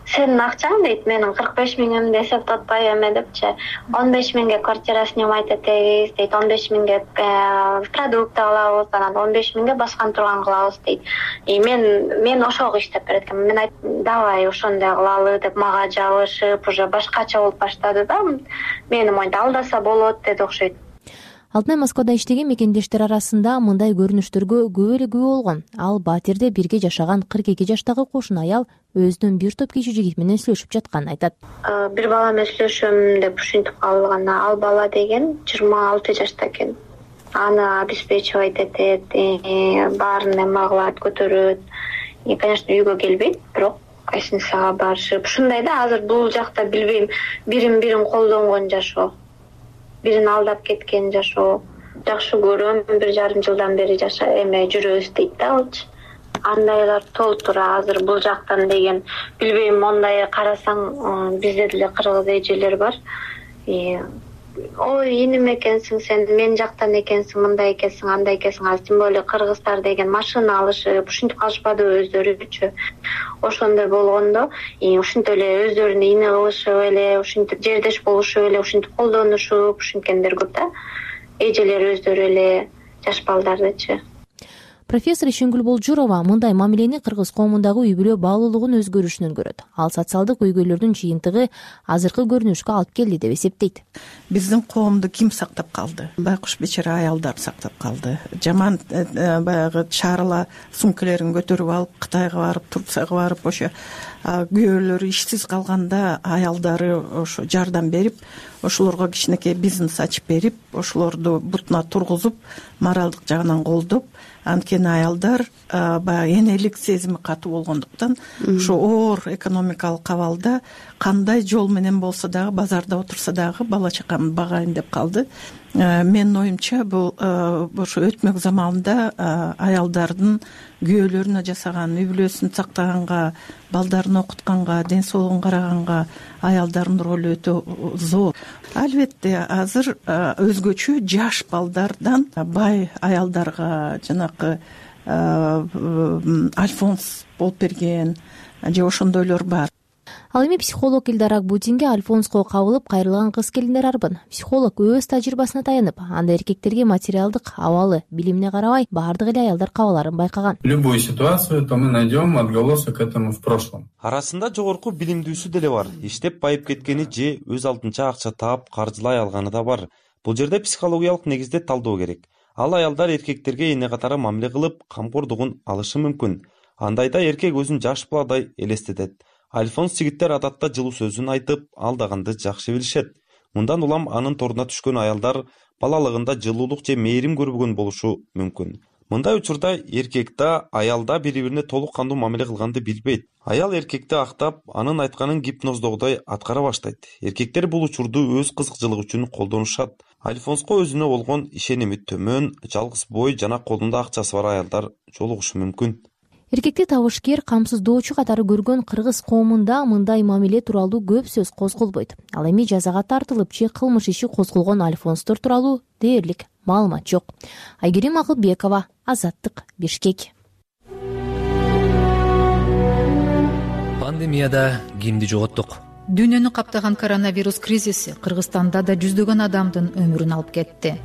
сенин акчаң дейт, менин 45 миңимди эсептотпой эме депчи, 15 миңге квартира снимать этебиз дейт, 15 миңге продукт алабыз, анан 15 миңге баскан турган кылабыз дейт. Мен ошого иштеп берет экенмин. Мен айттым, давай ошондой кылалы деп мага жабышып, уже башкача болуп баштады да. Мени моинтип алдаса болот деди окшойт. Алтынай Москвада иштеген мекендештер арасында мындай көрүнүштөргө көп эле күбө болгон. Ал Батирде бирге жашаган 42 жаштагы кошун аял өзүнүн бир топ кичи жигит менен сүйлөшүп жатканын айтат. Бир бала менен сүйлөшөм деп ушинтип калган. Ал бала деген 26 жашта экен. Аны обеспечивать этет, баарын эме кылат, көтөрөт. Конечно, үйгө келбейт, бирок гостиницага барышып, ушундай да. Азыр бул жакта билбейм, бирин колдонгон жашоо. Бирин алдап кеткен жашоо. Жакшы көрөм, 1,5 жылдан бери жүрөбүз дейт да алчы. Андайлар толтур азыр бул жактан деген. Билбейм, мондай карасаң, бизде деле кыргыз эжелер бар. Ой, иним экенсиң сен, мен жактан экенсиң, мындай экенсиң, андай экенсиң. Азыр тем более кыргыздар деген машина алышып, ушинтип калышпадыбы өздөрүчү. Ошондой болгондо, ушинтип эле өздөрүнө ини кылышып эле, ушинтип жердеш болушуп эле, ушинтип колдонушуп, ушинткендер көп да. Эжелер өздөрү эле, жаш балдардычы. Профессор Ишенгүл Болжурова мындай мамилени кыргыз коомундагы үй бүлө баалуулугун өзгөрүшүнөн көрөт. Ал социалдык көйгөйлөрдүн жыйынтыгы азыркы көрүнүшкө алып келди деп эсептейт. Биздин коомду ким сактап калды? Байкуш бечара аялдар сактап калды. Жаман баягы чарыла сумкалерин көтөрүп алып Кытайга барып, Турцияга барып, ошо күйөөлөрү ишсиз калганда аялдары ошо жардам берип, ошолорго кичинекей бизнес ачып берип, ошолорду бутуна тургузуп, моралдык жагынан колдоп, анткени аялдар баягы энелик сезими катуу болгондуктан ошо оор экономикалык абалда кандай жол менен болсо дагы базарда отурса дагы бала чакамды багайын деп калды. Менин оюмча бул ошо өтмөк заманда аялдардын күйөөлөрүнө жасаган, үй бүлөсүн сактаганга, балдарын окутканга, ден соолугун караганга аялдардын ролу өтө зор. Албетте азыр өзгөчө жаш балдардан бай аялдарга жанакы альфонс болуп берген же ошондойлор бар. Ал эми психолог Илдар Акбутинге альфонско кабылып кайрылган кыз келиндер арбын. Психолог өз тажрыйбасына таянып, анда эркектерге материалдык абалы, билимине карабай баардык эле аялдар кабаларын байкаган. Любую ситуацию то мы найдем отголосок этому в прошлом. Арасында жогорку билимдүүсү деле бар. Иштеп байып кеткени же өз алдынча акча таап каржылай алганы да бар. Бул жерде психологиялык негизде талдоо керек. Ал аялдар эркектерге эне катары мамиле кылып, камкордугун алышы мүмкүн. Андайда эркек өзүн жаш баладай элестетет. Альфонс жигиттер адатта жылуу сөзүн айтып, алдаганды жакшы билишет. Мындан улам анын торуна түшкөн аялдар балалыгында жылуулук же мээрим көрбөгөн болушу мүмкүн. Мындай учурда эркек да, аял да бири-бирине толук кандуу мамиле кылганды билбейт. Аял эркекти актап, анын айтканын гипноздогудай аткара баштайт. Эркектер бул учурду өз кызыкчылыгы үчүн колдонушат. Альфонско өзүнө болгон ишеними төмөн, жалгыз бой жана колунда акчасы бар аялдар жолугушу мүмкүн. Эркекти табышкер, камсыздоочу катары көргөн кыргыз коомунда мындай мамиле тууралуу көп сөз козголбойт. Ал эми жазага тартылып же кылмыш иши козголгон альфонстор тууралуу дээрлик маалымат жок. Айгерим Акылбекова, Азаттык, Бишкек. Пандемияда кимди жоготтук? Дүйнөнү каптаган коронавирус кризиси Кыргызстанда да жүздөгөн адамдын өмүрүн алып кетти.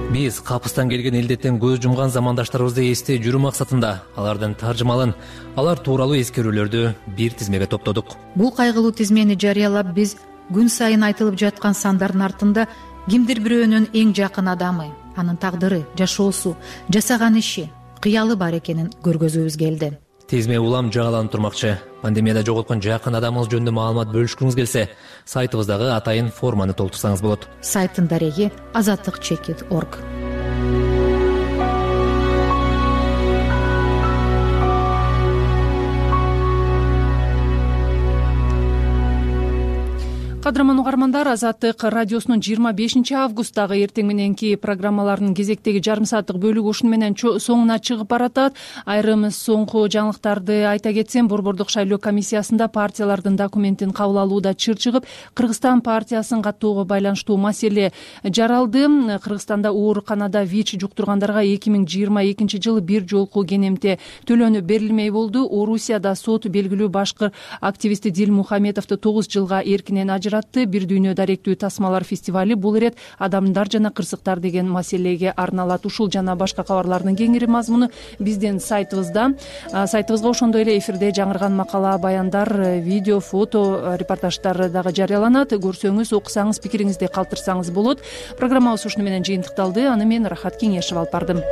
Биз капыстан келген илдеттен көз жумган замандаштарыбызды эстей жүрүү максатында алардын таржымалын, алар тууралуу эскерүүлөрдү бир тизмеге топтодук. Бул кайгылуу тизмени жарыялап, биз күн сайын айтылып жаткан сандардын артында кимдир бирөөнүн эң жакын адамы, анын тагдыры, жашоосу, жасаган иши, кыялы бар экенин көргөзүүбүз келди. Тизме улам жагаланып турмакчы. Пандемияда жоготкон жакын адамыңыз жөнүндө маалымат бөлүшкүңүз келсе, сайтыбыздагы атайын форманы толтурсаңыз болот. Сайттын дареги azatlyk.org. кадырман угармандар, Азаттык радиосунун 25 августтагы эртең мененки программаларынын кезектеги жарым сааттык бөлүгү ушуну менен соңуна чыгып баратат. Айрым соңку жаңылыктарды айта кетсем, Борбордук шайлоо комиссиясында партиялардын документин кабыл алууда чыр чыгып, Кыргызстан партиясын каттоого байланыштуу маселе жаралды. Кыргызстанда ооруканада ВИЧ жуктургандарга 2022 жылы бир жолку кенемте төлөнүп берилмей болду. Орусияда сот белгилүү башкы активисти Дилмухаметовду 9 жылга эркинен ажыратты. Бир дүйнө даректүү тасмалар фестивали бул ирет адамдар жана кырсыктар деген маселеге арналат. Ушул жана башка кабарлардын кеңири мазмуну биздин сайтыбызда. Сайтыбызга ошондой эле эфирде жаңырган макала, баяндар, видео, фото, репортаждар дагы жарыяланат. Көрсөңүз, окусаңыз, пикириңизди калтырсаңыз болот. Программабыз ушуну менен жыйынтыкталды. Аны мен Рахат Кеңешев алып бардым.